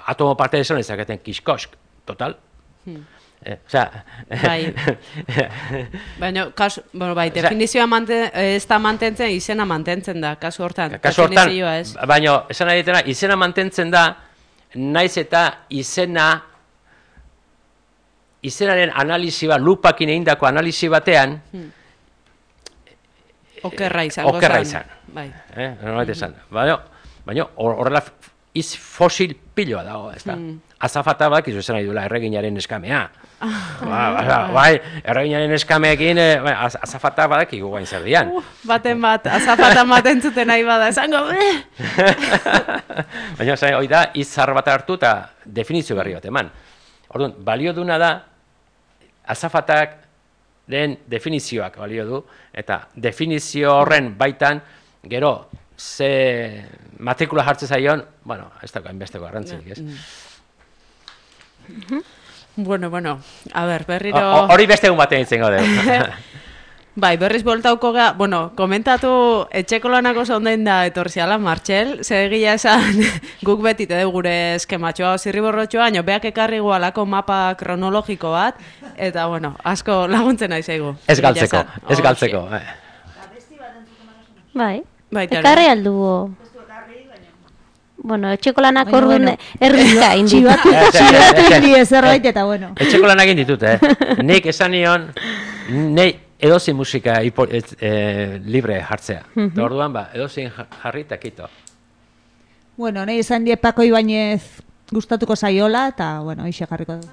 atomo parte esan ezaketen kiskosk, total. Hmm. Eh, osea, Bai. Baina, kasu, bueno, bai, definizioa manten, ez da mantentzen, izena mantentzen da, kasu hortan. Kasu hortan, Definizioa ez. baina, esan nahi ditena, izena mantentzen da, naiz eta izena izenaren analisi bat, lupakin egindako analisi batean, Okerra izango zen. Okerra izan. Bai. Eh, normalt esan. Baina, baina horrela iz fosil piloa dago, ez da. Mm. Azafata bat, izu esan nahi duela, erreginaren eskamea. Ba, ba, bai, erreginaren eskameekin, eh, bai, az, azafata badak iguain zer dian. Uh, baten bat, azafata maten zuten nahi bada, esango, baina, zai, hoi da, izar bat hartu eta definizio berri bat eman. Orduan, balio duna da, azafatak den definizioak balio du, eta definizio horren baitan, gero, ze matrikula jartzen zaion, bueno, ez dago hainbesteko garrantzik, ez? Bueno, bueno, a ber, berriro... Hori beste egun batean izango dugu. Bai, berriz boltauko ga, bueno, komentatu etxeko lanako zonden da etorziala, Martxel, ze egia esan guk beti te gure eskematxoa zirriborrotxoa, baina beak ekarri gualako mapa kronologiko bat, eta bueno, asko laguntzen nahi zaigu. Ez galtzeko, ez galtzeko. Bai, Bai, ekarri aldugu. Bueno, etxeko lanak orduan erdika indi. Txibatu indi ezerbait eta bueno. Etxeko lanak inditut, eh? Nik esan nion, nei edozein musika hipo, et, e, libre jartzea. Mm-hmm. Orduan, ba, edozein jarri eta kito. Bueno, nahi esan die Pako Ibañez gustatuko zaiola, eta, bueno, hoxe jarriko du.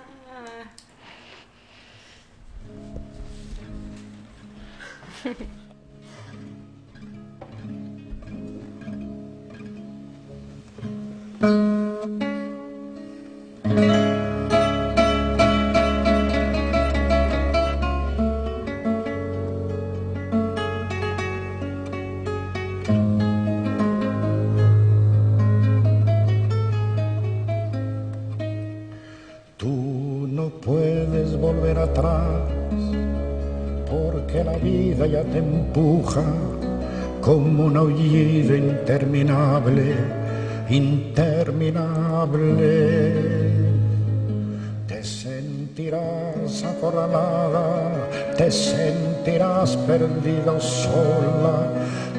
Tú no puedes volver atrás porque la vida ya te empuja como un aullido interminable, interminable. Te sentirás acorralada, te sentirás perdida o sola,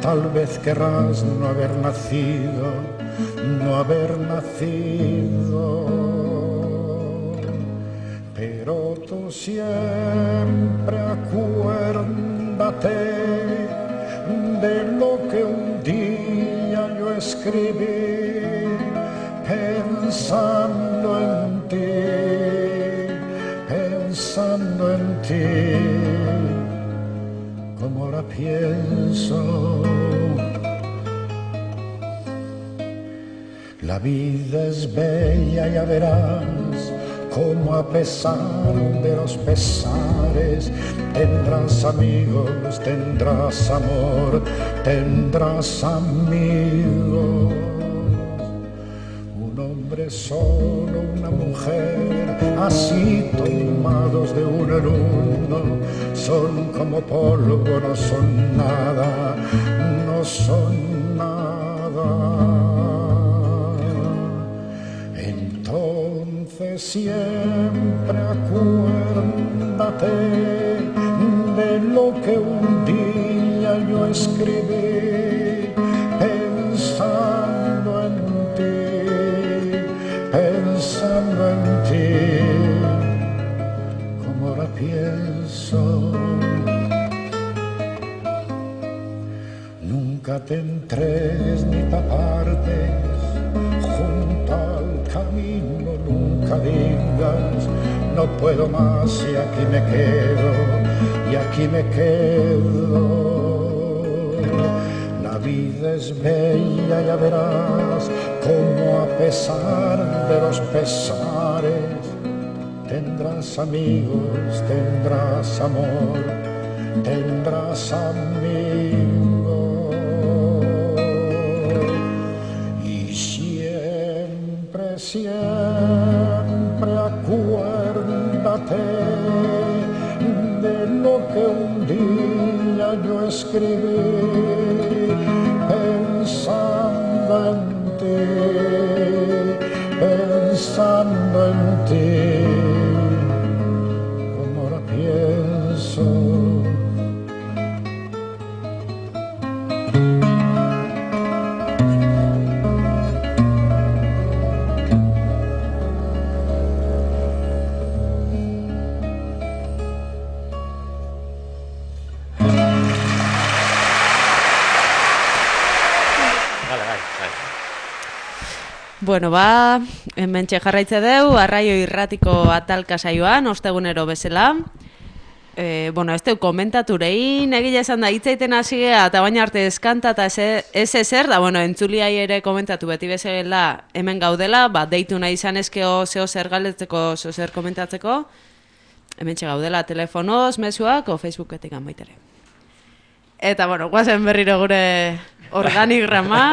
tal vez querrás no haber nacido, no haber nacido. Pero tú siempre acuérdate de lo que un día yo escribí pensando en ti, pensando en ti, como ahora pienso. La vida es bella, ya verás, como a pesar de los pesares tendrás amigos, tendrás amor, tendrás amigos. Un hombre solo, una mujer, así tomados de uno en uno, son como polvo, no son nada, no son nada. Entonces siempre acuérdate de lo que un día yo escribí pensando en ti, pensando en ti, como ahora pienso. Nunca te entregues ni te apartes junto al camino, nunca digas no puedo más y aquí me quedo, y aquí me quedo. La vida es bella, ya verás, como a pesar de los pesares tendrás amigos, tendrás amor, tendrás amigos. Siempre acuérdate de lo que un día yo escribí pensando en ti, pensando en ti, como ahora pienso. bueno, ba, hementxe jarraitze deu, Arraio Irratiko atalka saioan, ostegunero bezala. E, bueno, ez deu komentaturein, egile esan da, hitzaiten hasi gea, eta baina arte eskanta eta ez ezer, da, bueno, entzuliai ere komentatu beti bezala hemen gaudela, ba, deitu nahi izan ezkeo zeo zer galetzeko, zeo zer komentatzeko, hemen gaudela telefonoz, mezuak, o Facebooketik anbaitere. Eta, bueno, guazen berriro gure organigrama.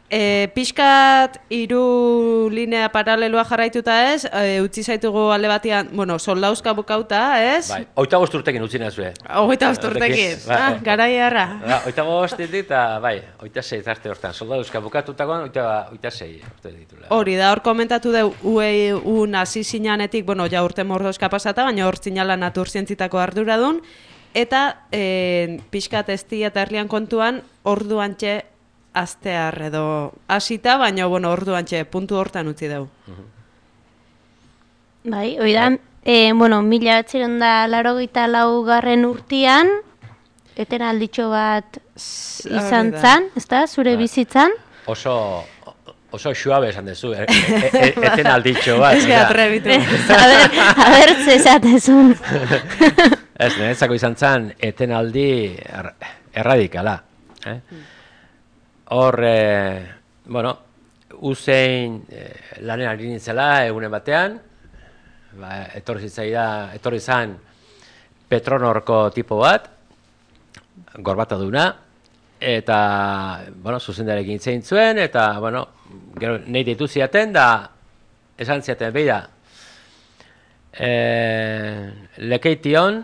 E, pixkat hiru linea paraleloa jarraituta ez, e, utzi zaitugu alde batian, bueno, soldauzka bukauta, ez? Bai, oita bost urtekin utzi nazue. Oita bost urtekin, ah, garai harra. Ba, oita bost ditit, eta bai, oita sei arte hortan, soldauzka bukatutakoan, oita, oita sei urte ditula. Hori da, hor komentatu deu, ue un hasi zinanetik, bueno, ja urte mordozka pasata, baina hor zinala natur zientzitako arduradun, eta e, pixkat ezti eta herlian kontuan, orduan txe, astear edo hasita, baina bueno, orduan txe, puntu hortan utzi dugu. Bai, oidan, e, bueno, mila batziron da larogeita laugarren urtian, eten alditxo bat izan zan, ez da, zure bizitzan? Oso, oso xuabe esan dezu, e, e, e, eten alditxo bat. Ez gehatrebitu. A ber, a ber, zezatezun. Ez, niretzako izan zan, eten aldi er, erradikala. Eh? Hor, eh, bueno, usein eh, lanen ari nintzela egunen batean, ba, etorri zitzaida, etorri zan Petronorko tipo bat, gorbata duna, eta, bueno, zuzendarekin zein zuen, eta, bueno, gero nahi ditu ziaten, da, esan ziaten, beida, eh, lekeition,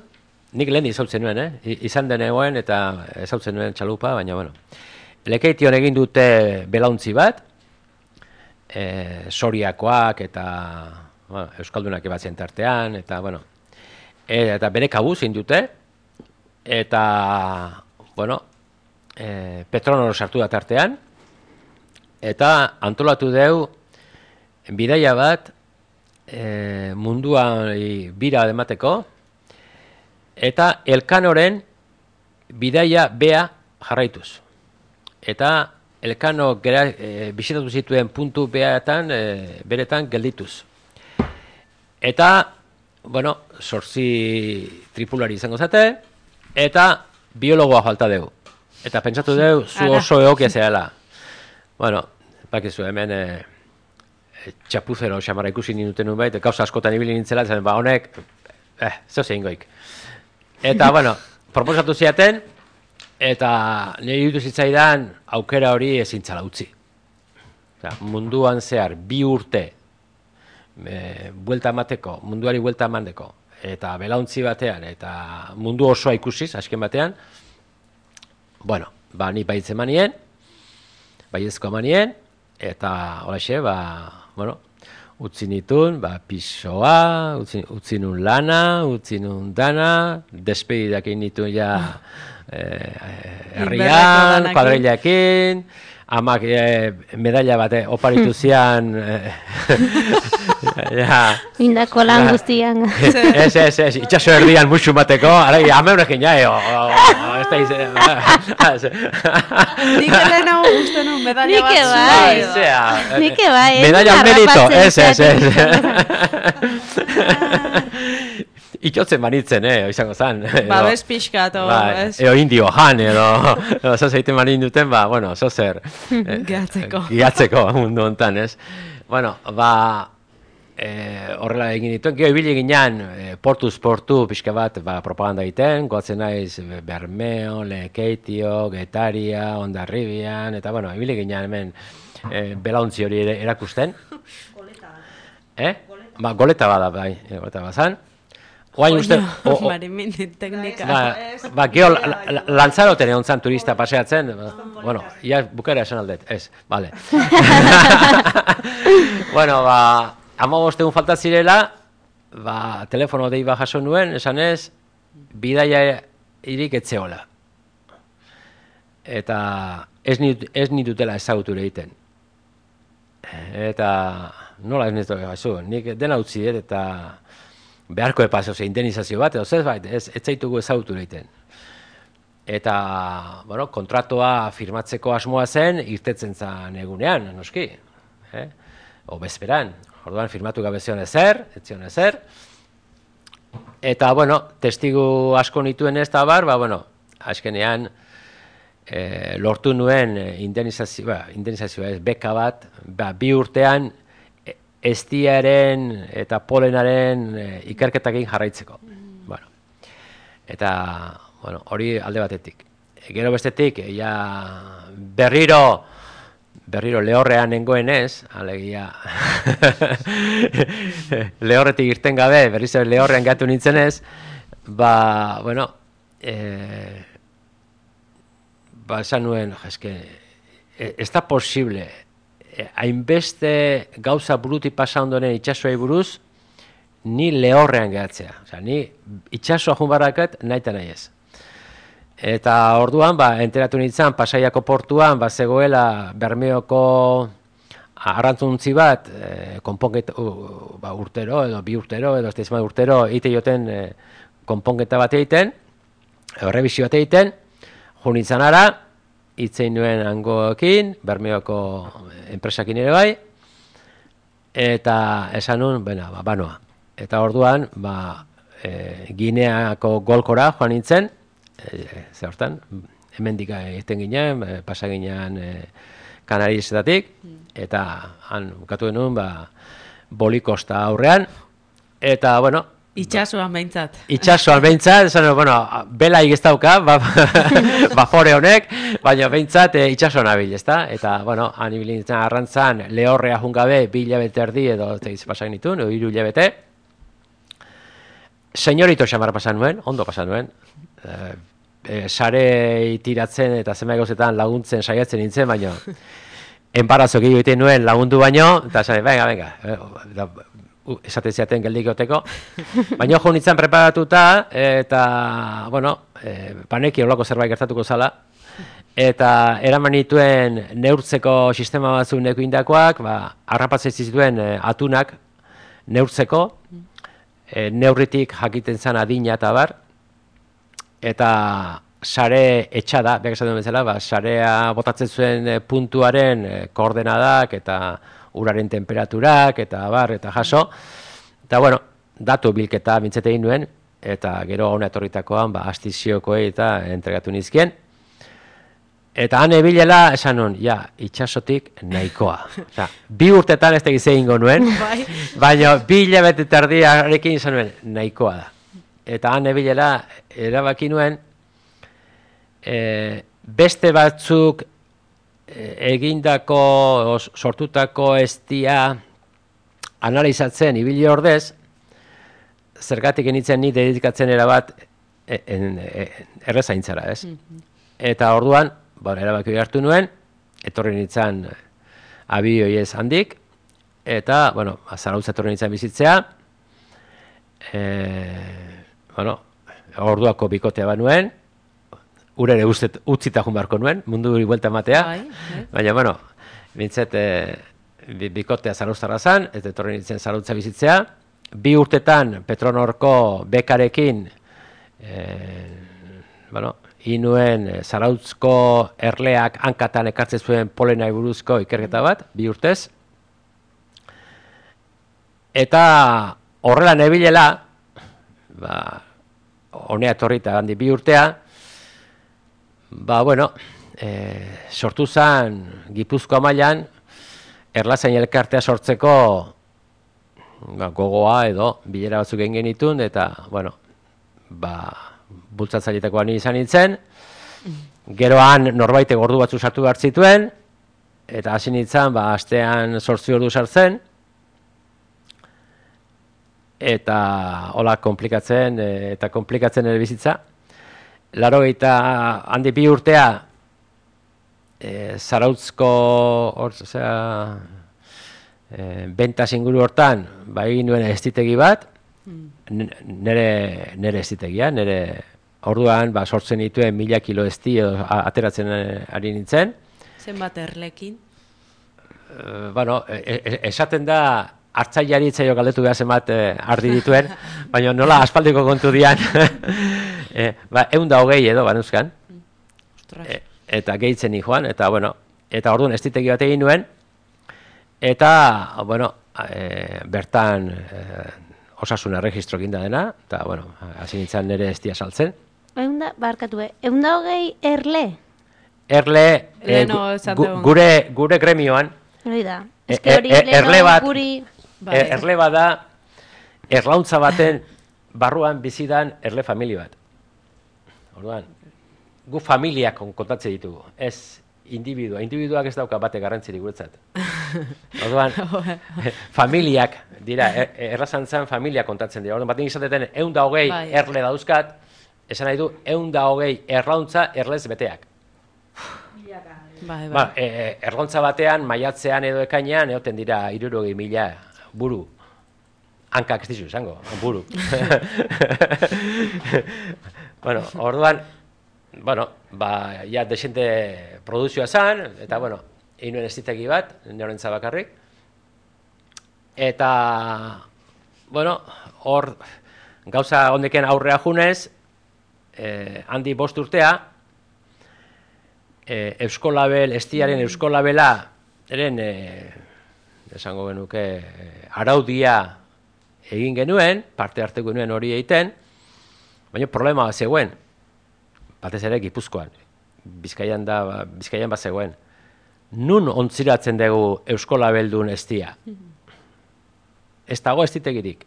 nik lehen izautzen nuen, eh? izan denegoen, eta ezautzen nuen txalupa, baina, bueno, lekeition egin dute belauntzi bat, e, soriakoak eta bueno, euskaldunak ebatzen tartean, eta, bueno, e, eta bere kabuz egin dute, eta, bueno, e, Petronor sartu da tartean, eta antolatu deu bidaia bat e, munduan bira emateko, eta Elkanoren bidaia bea jarraituz. Eta Elkano gera, e, bisitatu zituen puntu beatan, e, beretan geldituz. Eta, bueno, zortzi tripulari izango zate, eta biologoa falta dugu. Eta pentsatu dugu, zu oso egokia zehala. Bueno, bakizu hemen e, e, txapuzero xamarra ikusi ninuten nun bait, gauza askotan ibili nintzela, zen, ba, honek, eh, zeu zein goik. Eta, bueno, proposatu ziaten, eta nire ditu zitzaidan aukera hori ezintzala utzi. Osa, munduan zehar bi urte e, buelta emateko, munduari buelta emateko, eta belauntzi batean, eta mundu osoa ikusiz, azken batean, bueno, ba, ni baitze manien, baiezko manien, eta holaxe, ba, bueno, utzi nitun, ba, pisoa, utzi, utzi nun lana, utzi nun dana, despedidak egin nitun ja, herrian, eh, kuadrillakin, amak eh, medalla bate oparitu zian, eh, ja, indako lan guztian. Ez, ez, ez, itxaso erdian musu bateko, arai, hame honekin ja, ez da izan. Nik ere nago uste nun medalla bat zua. Nik bai, medalla merito, ez, ez, ez. Itxotzen manitzen, eh, izango zan. Babes pixkat, o, ba, ez? Eo indio jan, edo, edo zazeiten manin duten, ba, bueno, zozer. Eh, Gehatzeko. Gehatzeko, mundu hontan, ez? Bueno, ba, eh, horrela egin dituen, geho ibili ginean, eh, portuz portu pixka bat, ba, propaganda egiten, goatzen naiz Bermeo, Lekeitio, Getaria, Hondarribian, eta, bueno, ibili ginean hemen eh, belauntzi hori erakusten. Goleta bat. Eh? Goleta. Ba, goleta bada, bai, goleta bat zan. Oain uste... Marimini teknika. Ba, ba geho lantzaroten egon zan turista paseatzen, bueno, ia bukera esan aldet, ez, bale. Bueno, ba, ama bostegun falta zirela, ba, telefono dei ba jaso nuen, esan ez, bidaia irik etzeola. Eta ez nitutela ezagutu egiten. Eta nola ez nitu gazu, nik dena utzi dut, eta beharko epaz, ose, indemnizazio bat, edo ez bait, ez, ez zaitugu ezagutu egiten. eta, bueno, kontratua firmatzeko asmoa zen, irtetzen zan egunean, noski, eh? O bezperan, orduan firmatu gabe zion ezer, ez zion ezer, eta, bueno, testigu asko nituen ez da bar, ba, bueno, azkenean, e, lortu nuen indemnizazio, ba, indemnizazioa ez, beka bat, ba, bi urtean, eztiaren eta polenaren e, ikerketakin jarraitzeko. Bueno, eta, bueno, hori alde batetik. E, gero bestetik, e, ja, berriro, berriro lehorrean nengoen ez, alegia, lehorretik irten gabe, berriz lehorrean gatu nintzen ez, ba, bueno, e, ba, esan nuen, eske, ez da posible, hainbeste gauza buruti pasa ondoren itxasoei buruz, ni lehorrean gehatzea. Osea, ni itxasoa junbarakat nahi eta nahi ez. Eta orduan, ba, enteratu nintzen, Pasaiako portuan, ba, zegoela Bermeoko arrantzuntzi bat, e, konponket, uh, ba, urtero, edo bi urtero, edo ez da urtero, ite joten e, konponketa bat egiten, errebizio bat egiten, jo nintzen ara, itzein nuen hangoekin, Bermeoko enpresakin ere bai, eta esan nuen, bena, ba, banoa. Eta orduan, ba, e, Gineako golkora joan nintzen, e, ze hortan, hemendik egiten ginen, e, pasa ginen e, Kanariezetatik, eta han bukatu genuen, ba, Bolikosta aurrean, eta, bueno, itxasoan behintzat. Itxasoan behintzat, esan, bueno, belaik ez dauka, ba, bafore honek, baina behintzat e, itxasoan abil, ezta? Eta, bueno, han ibilintzen arrantzan, lehorrea jungabe, bi hilabete erdi edo, tegiz pasak nituen, edo hiru hilabete. Senyorito xamar pasan nuen, ondo pasan nuen. E, e, sare itiratzen eta zenbait gauzetan laguntzen saiatzen nintzen, baina enparazok egiten nuen lagundu baino, eta esan, venga, venga, e, Uh, esaten ziaten geldikoteko, baina jo nintzen preparatuta, eta, bueno, e, paneki horlako zerbait gertatuko zala, eta eraman nituen neurtzeko sistema batzu neko indakoak, ba, harrapatzen zituen e, atunak neurtzeko, e, neurritik jakiten zan adina eta bar, eta sare etxada, behar esaten bezala, ba, sarea botatzen zuen e, puntuaren e, koordenadak eta uraren temperaturak, eta bar, eta jaso. Eta, bueno, datu bilketa bintzete egin nuen, eta gero hona etorritakoan, ba, astiziokoei eta entregatu nizkien. Eta han ebilela, esan nuen, ja, itxasotik nahikoa. Osa, bi urtetan ez tegiz egingo nuen, baina bi hilabete terdiarekin izan nuen, nahikoa da. Eta han ebilela, erabaki nuen, e, beste batzuk egindako, sortutako eztia analizatzen ibili ordez, zergatik enitzen ni dedikatzen erabat errezaintzara, ez? Eta orduan, ba, erabaki hartu nuen, etorri nintzen abioiez handik, eta, bueno, Zarautza etorri nintzen bizitzea, e, bueno, orduako bikotea bat nuen, urere utzita jun beharko nuen, mundu hori buelta ematea, baina, bueno, bintzet, e, bikotea Zarauztarra zan, eta etorri nintzen Zarautza bizitzea, bi urtetan Petronorko bekarekin, e, bueno, inuen Zarautzko erleak hankatan ekartzen zuen polenai buruzko ikerketa bat, bi urtez, eta horrela nebilela, ba, honea etorri eta handi bi urtea, ba, bueno, e, sortu zen Gipuzkoa mailan erlazain elkartea sortzeko ba, gogoa edo bilera batzuk egin genitun, eta, bueno, ba, bultzatzaileetakoa ni izan nintzen, geroan norbaite gordu batzu sartu behar zituen, eta hasi nintzen, ba, astean zortzi ordu sartzen, eta hola komplikatzen, eta komplikatzen ere bizitza. Laurogeita handi bi urtea e, Zarautzko hor, osea, e, bentas inguru hortan, ba, egin nuen estitegi bat, nere, nere estitegia, nere orduan ba, sortzen dituen mila kilo esti ateratzen ari nintzen. Zenbat erlekin? E, bueno, e, e, esaten da, hartzaileari itzaio galdetu behar zenbat e, ardi dituen, baina nola aspaldiko kontu dian, e, ba, egun da hogei edo, banuzkan, Ostras. E, eta gehitzen joan, eta, bueno, eta orduan estitegi bat egin nuen, eta, bueno, e, bertan e, osasun erregistro ginda dena, eta, bueno, hasi nintzen nire estia saltzen. Eunda, barkatu, eh? Eunda hogei erle? Erle, e, Leheno gu, esan gu, dugun. gure, gure gremioan, Hori da. E- Ez que hori e- e- leheno erle bat- guri... Bai. e, erle bat da, erlauntza baten barruan bizidan erle familia bat. Orduan, gu familiak kontatzen ditugu, ez individua. Individuak ez dauka bate garrantzirik guretzat. Orduan, familiak dira, er, errazantzan familiak kontatzen dira. Orduan, baten izateten ehun da hogei Bai. erle dauzkat, esan nahi du ehun da hogei erlauntza erlez beteak. Bai, bai. Ba, e, erlauntza batean, maiatzean edo ekainean, egoten dira hirurogei mila buru. Hankak ez dizu izango, buru. Bueno, orduan, bueno, ba, ja, desente produzioa zan, eta, bueno, egin nuen estitegi bat, norentza bakarrik. Eta, bueno, hor, gauza ondeken aurrea junez, eh, handi bost urtea, eh, Euskolabel, estiaren Euskolabela, eren, eh, esango genuke, eh, araudia egin genuen, parte hartu genuen hori egiten, baina problema bat zegoen, batez ere Gipuzkoan, Bizkaian da, Bizkaian bat zegoen. Nun ontziratzen dugu Euskolabeldun estia? Ez dago estitegirik.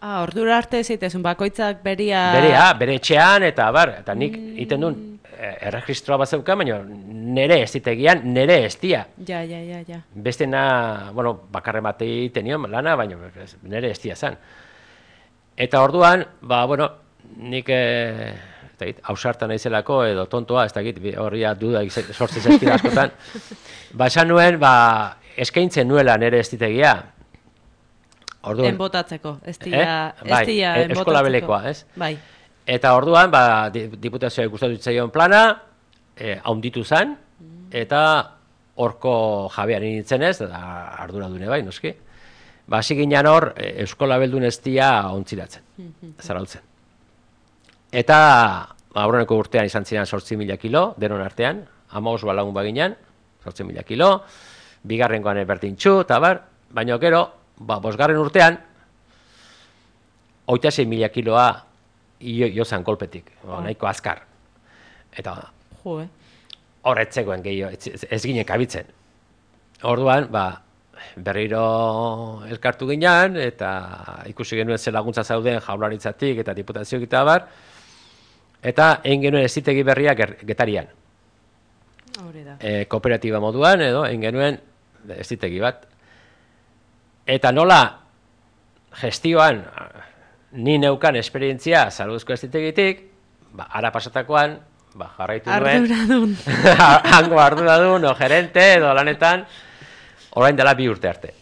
Ah, ordura arte zitezun, bakoitzak beria... Berea, bere etxean, eta bar, eta nik egiten duen eh, erregistroa bat zeukan, baina nere estitegian, nere estia. Ja, ja, ja, ja. Bestena, bueno, bakarre batei tenion lana, baina nere estia zen. Eta orduan, ba, bueno, nik, eh, ez dakit, ausartan naizelako edo tontoa, ez dakit, horria duda sortzen zaizkit askotan. Ba, esan nuen, ba, eskaintzen nuela nere estitegia. Orduan, Enbotatzeko, ez Eh? dira, ez Bai, dira e- enbotatzeko. eskolabelekoa, ez? Bai. Eta orduan, ba, di- diputazioa gustatu zitzaion plana, eh, haunditu zen, eta horko jabean nintzen ez, eta ardura dune bai, noski. Ba, hasi ginen hor, eh, Euskolabeldun estia ontziratzen, zarautzen. Eta, ba, aurreneko urtean izan ziren zortzi mila kilo, denon artean, hamabost balagun baginan, zortzi mila kilo, bigarrengoan berdintxu, eta bar, baina gero, ba, bosgarren urtean, hogeita sei mila kiloa jo, jozan kolpetik, ba, nahiko azkar. Eta Jo, eh? hor etzegoen gehiago, ez, ez ginen kabitzen. Orduan, ba, berriro elkartu ginen, eta ikusi genuen ze laguntza zauden jaurlaritzatik eta diputazioak eta bar, eta egin genuen ezitegi berria ger- Getarian. Hori da. E, kooperatiba moduan, edo, egin genuen ezitegi bat. Eta nola gestioan ni neukan esperientzia saluzko ezitegitik, ba, ara pasatakoan, ba, jarraitu nuen. Arduradun. Hango arduradun, o gerente, edo lanetan, orain dela bi urte arte.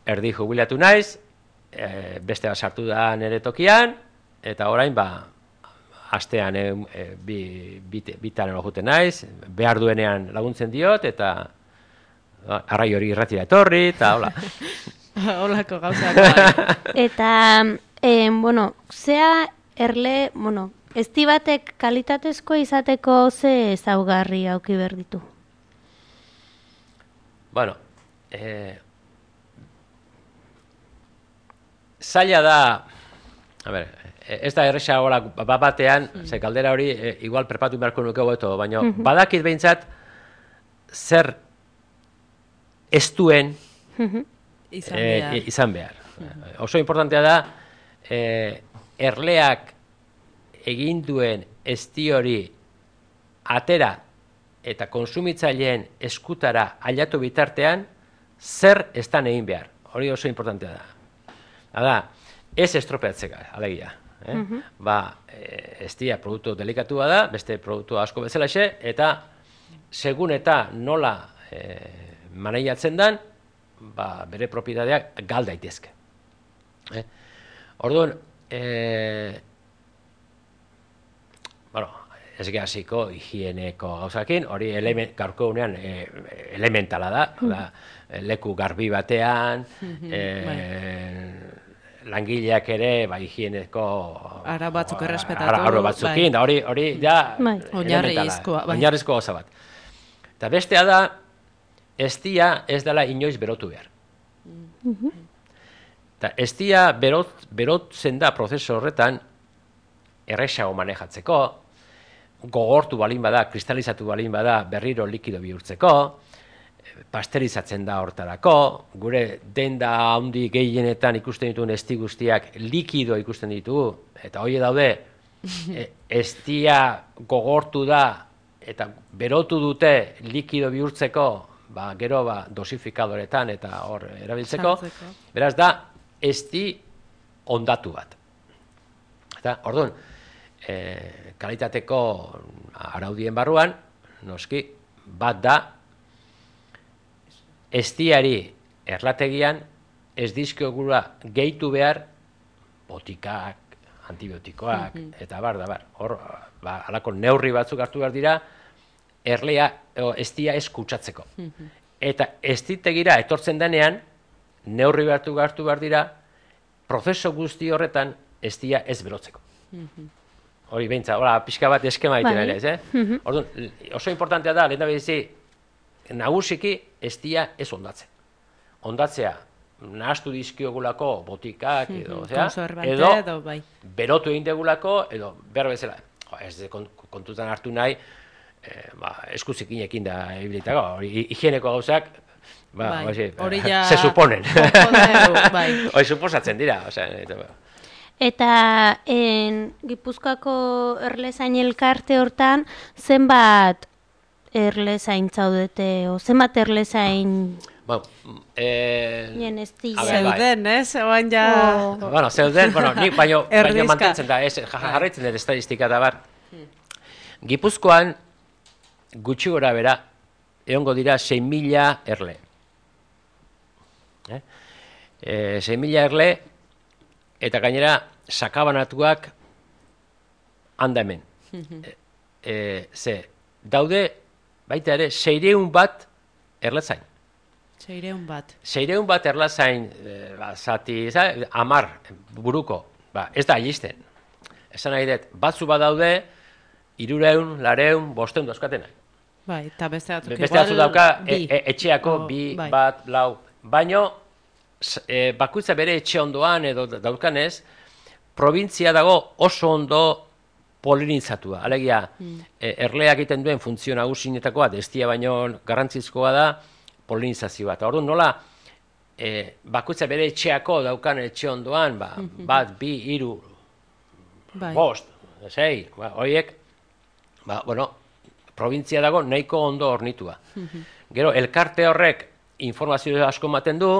Erdi jubilatu naiz, e, beste bat sartu da nire tokian, eta orain, ba, astean e, e, bi, bit, bitan erojuten naiz, behar duenean laguntzen diot, eta ba, arrai hori irratira etorri, eta hola. Holako gauzak. bai. Eta, eh, bueno, zea erle, bueno, ezti batek kalitatezko izateko ze ezaugarri auki behar ditu? Bueno, eh, zaila da, a ber, ez da erresa hola bat batean, ze galdera hori e, igual prepatu beharko nuke hobeto, baina badakit behintzat zer ez duen Izan eh, behar. izan behar. Oso importantea da, eh, erleak egin duen ezti hori atera eta konsumitzaileen eskutara ailatu bitartean zer estan egin behar. Hori oso importantea da. Hala, ez estropeatzeka, alegia. Eh? Ba, eh, eztia produktu delikatua da, beste produktu asko bezalaxe, eta segun eta nola eh, maneiatzen dan, ba, bere propietateak gal daitezke. Eh? Orduan, eh, bueno, ez gehaziko higieneko gauzakin, hori element, gaurko unean e, elementala da, da, leku garbi batean, e, langileak ere, ba, higieneko... Ara batzuk errespetatu. Ara, ara batzukin, da hori, hori, ja... Bai. Oinarrizkoa, bai. Oinarrizko gauza bat. Eta bestea da, eztia ez dela inoiz berotu behar. Eta eztia berot, berotzen da prozesu horretan, erresago manejatzeko, gogortu balin bada, kristalizatu balin bada, berriro likido bihurtzeko, pasterizatzen da hortarako, gure denda handi gehienetan ikusten dituen esti guztiak likido ikusten ditugu, eta hori daude, estia gogortu da, eta berotu dute likido bihurtzeko, ba, gero ba, dosifikadoretan eta hor erabiltzeko, Sartzeko. beraz da, esti ondatu bat. Eta, orduan, e, kalitateko araudien barruan, noski, bat da, estiari erlategian ez dizkiogula gehitu behar botikak, antibiotikoak, eta bar, da bar. Hor, ba, halako neurri batzuk hartu behar dira, erlea, o, estia ez kutsatzeko. Eta estitegira etortzen denean, neurri hartu hartu behar dira, prozeso guzti horretan estia ez berotzeko. Hori behintza, hola, pixka bat eskema egiten Bai. ere, ez, eh? Orduan, oso importantea da, lehen da behizi, nagusiki estia ez ondatzen. Ondatzea, nahastu dizkiogulako botikak, edo, osea, Konserbante edo, edo, bai. berotu egin degulako, edo behar bezala, jo, ez de kontutan hartu nahi, eh, ba, eskuzikinekin da ebilitako, hori higieneko gauzak, ba, Bai, osi, hori ja- se suponen. Jodeu, bai. Hori suposatzen dira, osea, eta, Eta en, Gipuzkoako erlezain elkarte hortan, zenbat erlezain zaudete, o zenbat erlezain bueno, eh, nien ez A ber, bai. Zeuden, ez? Oan ja... O- bueno, zeuden, bueno, nik baino, baino Erdizka. mantentzen da, ez, ja- jarraitzen dut estadistika da bar. Gipuzkoan, gutxi gora bera, egongo dira sei mila erle. Eh? E, sei mila erle, eta gainera, sakabanatuak handa hemen. e, e, ze, daude, baita ere, seireun bat erlezain. Seireun bat. Seireun bat erlazain, e, ba, zati, za, amar buruko, ba, ez da alisten. Esan nahi dut, batzu badaude, irureun, lareun, bosteun dauzkatenak. Bai, eta beste batzuk Beste igual batzu dauka, e, bi. e, etxeako O, bi, bai. bat, lau. Baino, s- e, bakoitza bere etxe ondoan edo da- daukanez, probintzia dago oso ondo polinizatua. Alegia, e, erleak egiten duen funtzio nagusienetakoa, destia baino garrantzizkoa da, polinizazioa. Eta orduan nola, e, bakoitza bere etxeako daukan etxe ondoan, ba, bat, bi, hiru, Bai. bost, sei, ba, horiek, ba, bueno, probintzia dago nahiko ondo hornitua. Gero, elkarte horrek informazio asko ematen du,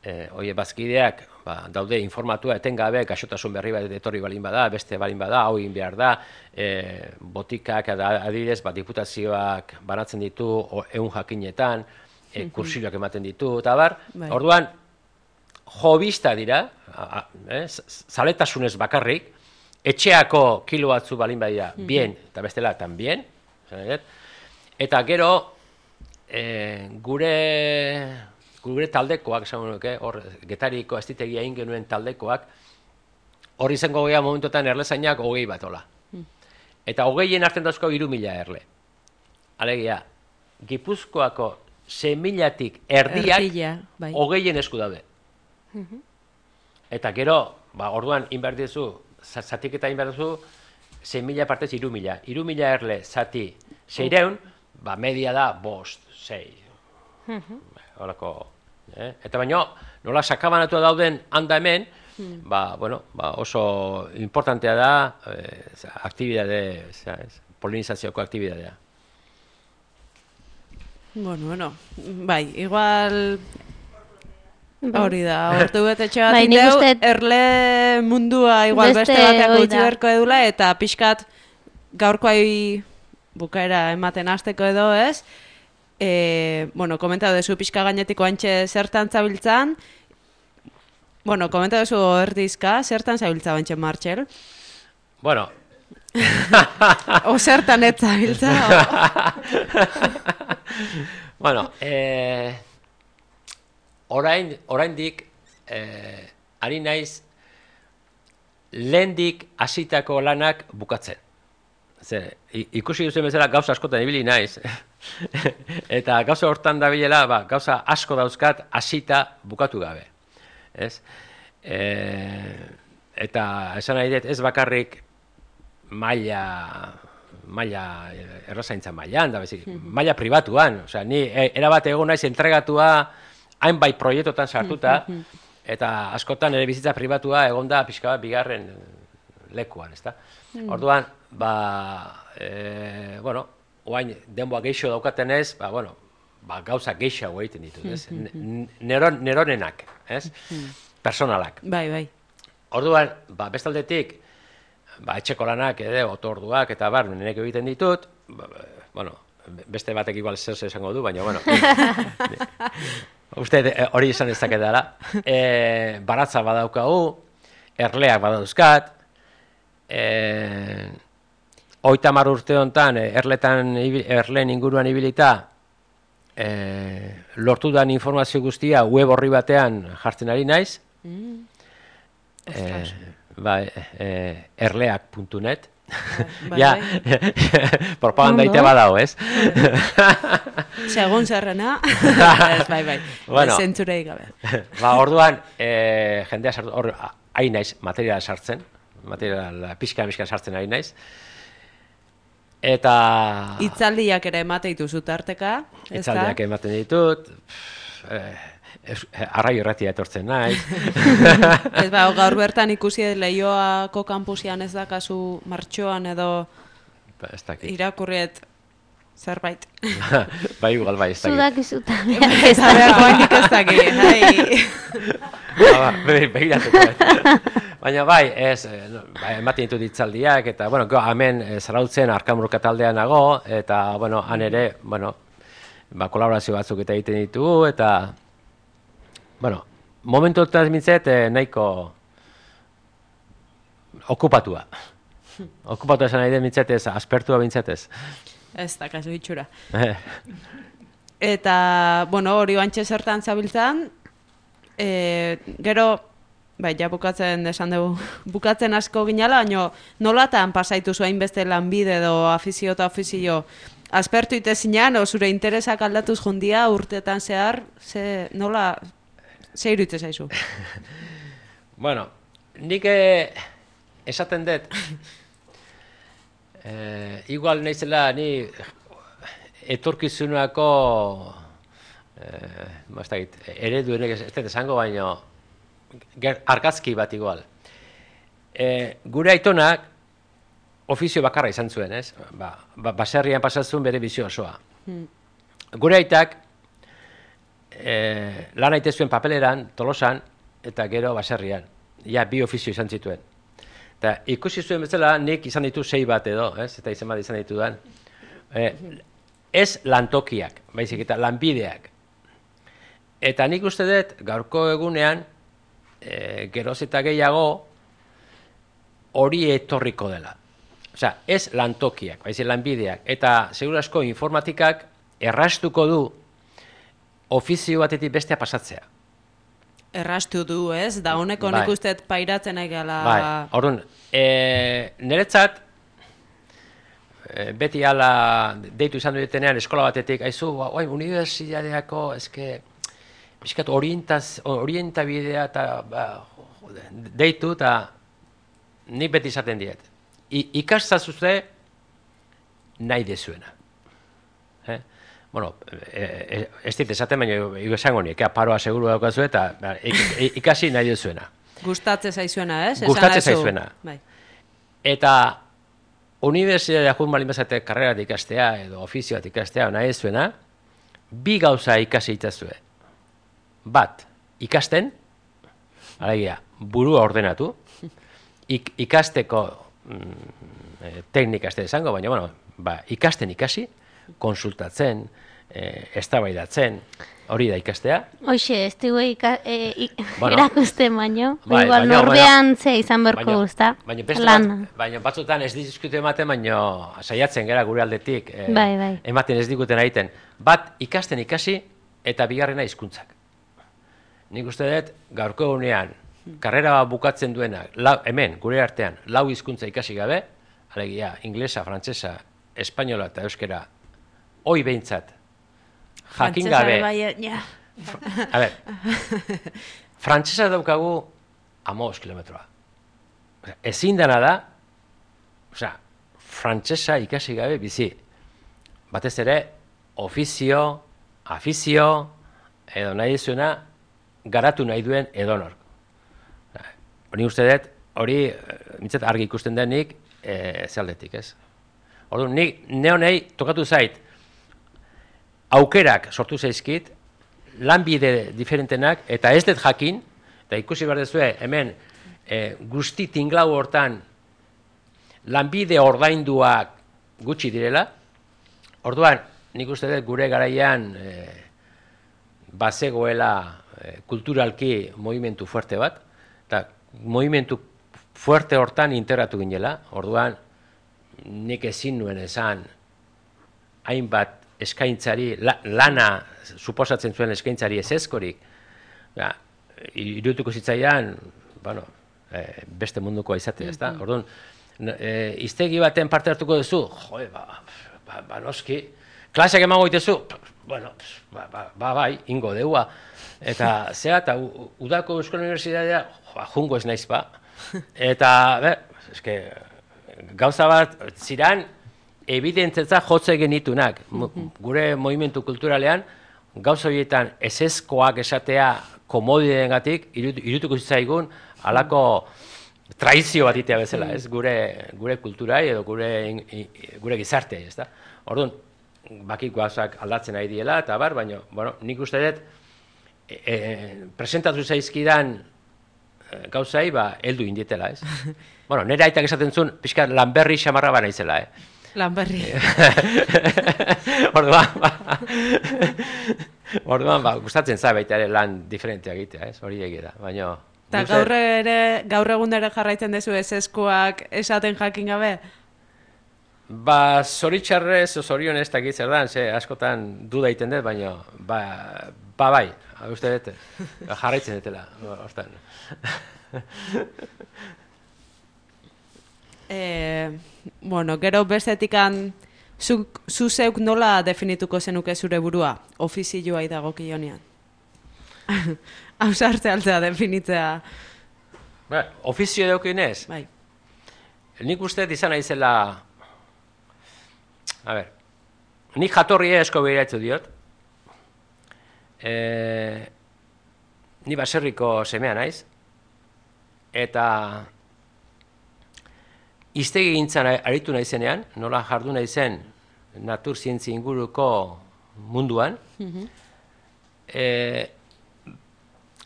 eh, oie, bazkideak ba, daude informatua etengabe, gaixotasun berri bat etorri balin bada, beste balin bada, hau egin behar da, eh, botikak, ada- adibidez, ba, diputazioak banatzen ditu, o, ehun jakinetan, eh, kursilloak ematen ditu, eta bar, Bai. orduan, jobista dira, a- a- eh, z- zaletasunez bakarrik, etxeako kilo batzu balin badira, bien, eta bestela, tambien, esan nahi dut. Eta gero, eh, gure gure taldekoak, esan nuke, hor, Getariko estitegia egin genuen taldekoak, hor izango gea momentotan erlezainak hogei bat ola. Eta hogeien hartzen dauzko hiru mila erle. Alegia, Gipuzkoako sei milatik erdiak Erdia, bai. hogeien esku daude. Eta gero, ba, orduan inberdizu, zatiketa inberdizu, sei mila partez hiru mila. hiru mila erle zati seireun, ba, media da bost, sei. Horako, eh? Eta baino, nola sakabanatu dauden handa hemen, ba, bueno, ba, oso importantea da, eh, aktibidade, ez, polinizazioko aktibidadea. Bueno, bueno, bai, igual Bai. hori da, ordu betetxe bat Bai, nik indeu, uste- erle mundua igual Beste beste, batean hori gutxi da. beharko edula, eta pixkat gaurkoai bukaera ematen hasteko edo ez, e, bueno, komentatu dezu pixka gainetiko antxe zertan zabiltzan, bueno, komentatu dezu erdizka, zertan zabiltza bantxe Martxel, Bueno, o zertan ez zabiltza, bueno, eh, orain, oraindik eh, ari naiz lehendik hasitako lanak bukatzen. Ze, ikusi duzen bezala gauza askotan ibili naiz. Eta gauza hortan dabilela, ba, gauza asko dauzkat hasita bukatu gabe. Ez? E, eta esan nahi dut ez bakarrik maila maila errazaintza mailan, da bezik, maila pribatuan. Osea, ni erabat egon naiz entregatua hainbait proiektotan sartuta, eta askotan ere bizitza pribatua egonda pixka bat bigarren lekuan, ezta? Orduan, ba, e, bueno, oain denboa geixo daukaten ez, ba, bueno, ba, gauza geixago egiten ditut, ez? Neron, neronenak, ez? Personalak. Bai, bai. Orduan, ba, bestaldetik, ba, etxeko lanak, edo, otorduak, eta bar, nenek egiten ditut, ba, bueno, beste batek igual zer esango du, baina, bueno, uste hori izan ez daketara, e, baratza badaukagu, erleak badauzkat, e, oita mar urte honetan, erletan, erleen inguruan ibilita, e, lortudan informazio guztia web horri batean jartzen ari naiz, mm. e, ba, e, erleak puntu net, Bai, ja, propaganda ite badao, ez? Segun zerrena, bai, bai, bueno, zentzurei gabe. Ba, orduan, e, jendea sartu, hor, ari naiz, materiala sartzen, materiala pixka-pixka sartzen ari naiz, eta... Itzaldiak ere emate dituzu tarteka, ez da? Itzaldiak ematen ditut, eh, arraio erratia etortzen naiz. Ez ba, gaur bertan ikusi Leioako kampusian ez dakazu martxoan edo ba, irakurriet zerbait. Bai, igual bai, ez dakit. Zudak izuta. Ez dakit, ez dakit. Begiratuko. Baina bai, ez, ematen ditut itzaldiak, eta, bueno, hemen Zarautzen Arkamurka taldean nago, eta, bueno, han ere, bueno, ba, kolaborazio batzuk eta egiten ditugu, eta bueno, momentu ez mintzet eh, nahiko okupatua. Okupatua esan nahi den mintzetez, aspertua mintzetez. Ez da, kasu itxura. Eta, bueno, hori bantxe zertan zabiltzan, e, gero, bai, ja bukatzen esan dugu, bukatzen asko ginala, baina nolatan pasaitu zuen beste lanbide edo afizio eta ofizio, aspertu itezinan, o zure interesak aldatuz jundia urteetan zehar, ze, nola... Zer iruditzen zaizu? Bueno, nik esaten dut, eh, igual naizela ni etorkizunako eh, ereduenek ez dut esango, baino argazki bat igual. Eh, gure aitonak ofizio bakarra izan zuen, ez? Ba, ba, baserrian pasatzen bere bizio osoa. Hmm. Gure aitak E, lan aite zuen papeleran, Tolosan, eta gero baserrian. Ja, bi ofizio izan zituen. Eta ikusi zuen bezala, nik izan ditu sei bat edo, ez? Eta izan bat izan ditudan. E, ez lantokiak, baizik eta lanbideak. Eta nik uste dut, gaurko egunean, e, geroz eta gehiago, hori etorriko dela. Osea, ez lantokiak, baizik lanbideak. Eta, segurasko, informatikak errastuko du ofizio batetik bestea pasatzea. Errastu du, ez? Da honeko nik uste pairatzen egala... Bai, orduan, e, niretzat, e, beti ala deitu izan dutenean eskola batetik, haizu, bai, unibertsitateako, eske, bizkat orientabidea eta ba, deitu, eta nik beti izaten diet. I, ikastazuze nahi dezuena. Eh? Bueno, ez dit esaten, baina esango nik, paroa seguru daukazu eta ikasi nahi duzuena. Gustatze zaizuena, ez? Gustatze zaizuena. Bai. Eta unibertsitatea joan balin bezate karrera ikastea edo ofizio bat ikastea nahi duzuena, bi gauza ikasi itazue. Bat, ikasten, alegia, burua ordenatu, ik, ikasteko mm, teknika ez da esango, baina, bueno, ba, ikasten ikasi, konsultatzen, eh, eztabaidatzen, hori da ikastea. Hoxe, ez dugu e, bueno, erakusten baino, bai, igual baino, norbean ze izan berko guzta. Baina bat, baina batzutan ez diskutu ematen, baina saiatzen gara gure aldetik, eh, bai, bai. ematen ez diguten egiten. Bat, ikasten ikasi, eta bigarrena hizkuntzak. Nik uste dut, gaurko egunean, karrera bukatzen duena, lau, hemen, gure artean, lau hizkuntza ikasi gabe, alegia, inglesa, frantsesa, espainola eta euskera, hoi behintzat, jakin gabe. Bai, ja. A ber, frantsesa daukagu hamabost kilometroa. Ezin dena da, osea, frantsesa ikasi gabe bizi. Batez ere, ofizio, afizio, edo nahi zuena, garatu nahi duen edonor. Hori uste dut, hori, mitzat argi ikusten denik, e, zealdetik, ez? Orduan, nik neonei tokatu zait, aukerak sortu zaizkit, lanbide diferentenak, eta ez dut jakin, eta ikusi behar dezue, hemen, e, guzti tinglau hortan, lanbide ordainduak gutxi direla, orduan, nik uste dut gure garaian, e, bazegoela e, kulturalki movimentu fuerte bat, eta movimentu fuerte hortan integratu ginela, orduan nik ezin nuen esan hainbat eskaintzari, la, lana suposatzen zuen eskaintzari ezezkorik, ja, irutuko zitzaian, bueno, e, beste mundukoa izatea, ezta? Orduan, e, iztegi baten parte hartuko duzu, joe, ba, ba, ba noski, klaseak emango dituzu, bueno, ba, ba, ba, bai, ingo deua. Eta zera, eta udako Euskal Unibertsitatea, joa, jungo ez naiz ba. Eta, be, eske, gauza bat, ziran, evidentzetza jotze genitunak. Gure movimentu kulturalean, gauza horietan ezezkoak esatea komodideengatik irutuko zitzaigun halako traizio bat itea bezala, ez? Gure, gure kulturai edo gure, gure gizarte, ez da? Orduan, bakik gauzak aldatzen ari diela, eta bar, baina, bueno, nik uste dut, e, e, presentatu zaizkidan e, gauzai, ba, heldu indietela, ez? Bueno, nire aitak esaten zuen, pixka lanberri xamarra bana izela, eh? Lanberri. Orduan, ba, orduan, ba, gustatzen za baita ere lan diferentea egitea, ez? Hori egia da, baina... Eta gaur ere, gaur egun ere jarraitzen dezu ezezkoak esaten jakin gabe? Ba, zoritxarrez, zorion ez dakit zer dan, ze askotan duda iten dut, baina, ba, ba bai, uste dut, jarraitzen dutela, hortan. e, bueno, gero bestetikan, zu, zu zeuk nola definituko zenuke zure burua, ofizioa idagokionean? Hau sartze altzea definitzea. Ba, ofizio edokionez? Bai. Nik uste izan naizela... A ber, nik jatorri esko behiraitzu diot. E, ni baserriko semea naiz. Eta hiztegi gintzan aritu naizenean, nola jardu naizen natur zientzi inguruko munduan. Mm-hmm. e,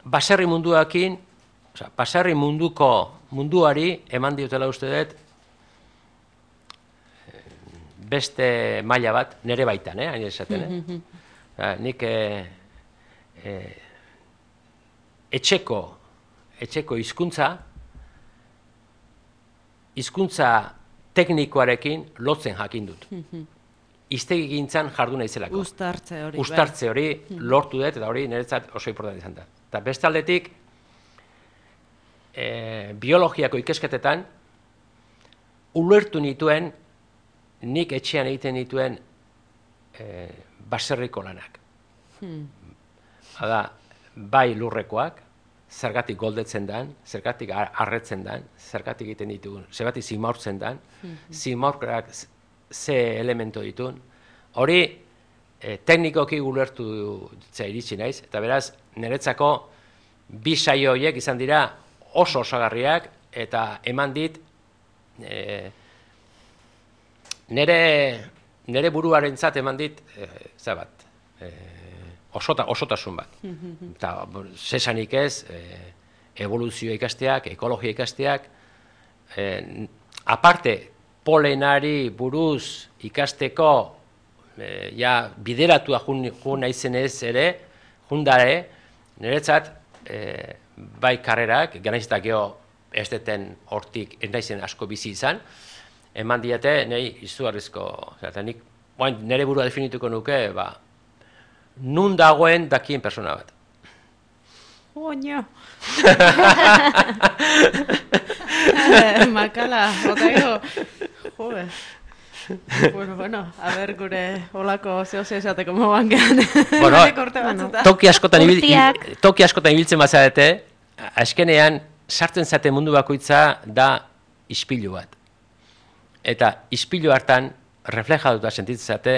baserri munduakin, oza, baserri munduko munduari eman diotela uste dut, beste maila bat, nire baitan, eh, hain esaten, eh? Mm-hmm. Nik eh, eh, etxeko, etxeko hizkuntza, hizkuntza teknikoarekin lotzen jakin dut. Mm-hmm. Hiztegi gintzan jardu naizelako. Uztartze hori. Uztartze hori lortu dut, eta hori niretzat oso importante izan da. Eta beste aldetik, eh, biologiako ikesketetan, ulertu nituen, nik etxean egiten dituen e, baserriko lanak. Hmm. Hada, bai lurrekoak, zergatik goldetzen dan, zergatik arretzen dan, zergatik egiten ditugun, zergatik zimaurtzen dan, hmm. zimaurkak ze elemento ditun. Hori, e, teknikoki ulertu zea iritsi naiz, eta beraz, niretzako bi saio horiek izan dira oso osagarriak, eta eman dit, e, Nere, nere buruarentzat eman dit, e, za bat, e, osota, osotasun bat. Eta, zesanik ez, e, evoluzio ikasteak, ekologia ikasteak, e, aparte, polenari buruz ikasteko, e, ja, bideratua jun, jun naizen ez ere, jundare, niretzat, e, bai karrerak, ganaizetak geho ez deten hortik ez naizen asko bizi izan, eman diete, nahi izugarrizko, eta nik, oain, nire burua definituko nuke, ba, nun dagoen dakien persona bat. Oño. Makala, otago. Joder. Bueno, bueno, a ver, gure olako zehose esateko moban gehan. Bueno, bueno. toki askotan ibil, Urtiak. toki askotan ibiltzen bazarete, azkenean sartzen zate mundu bakoitza da ispilu bat. Eta ispilu hartan reflejatuta sentitzen zate,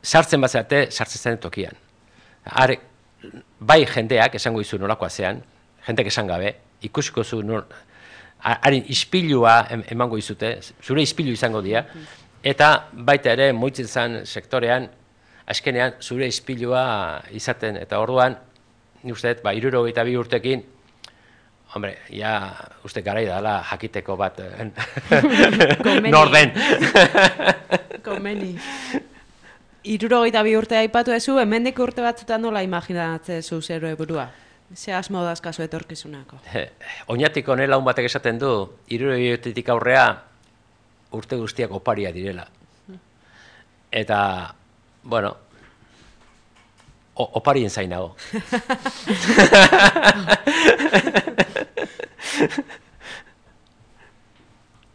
sartzen bazate, sartzen zaten tokian. Are, bai jendeak esango dizu nolakoa zean, jendeak esan gabe, ikusiko zu nor, haren ispilua emango izute, zure ispilu izango dira, eta baita ere moitzen zen sektorean, azkenean zure ispilua izaten, eta orduan, ni uste, ba, hirurogeita bi urtekin, hombre, ja, uste garai dala jakiteko bat, nor den. Komeni. Hirurogeita bi urte aipatu ezu, hemendik urte batzutan nola imaginatzen zu zero burua? Ze asmo dazkazu etorkizunako? Oñatik honela un batek esaten du, hirurogeitik aurrea urte guztiak oparia direla. Eta, bueno, o, oparien zainago.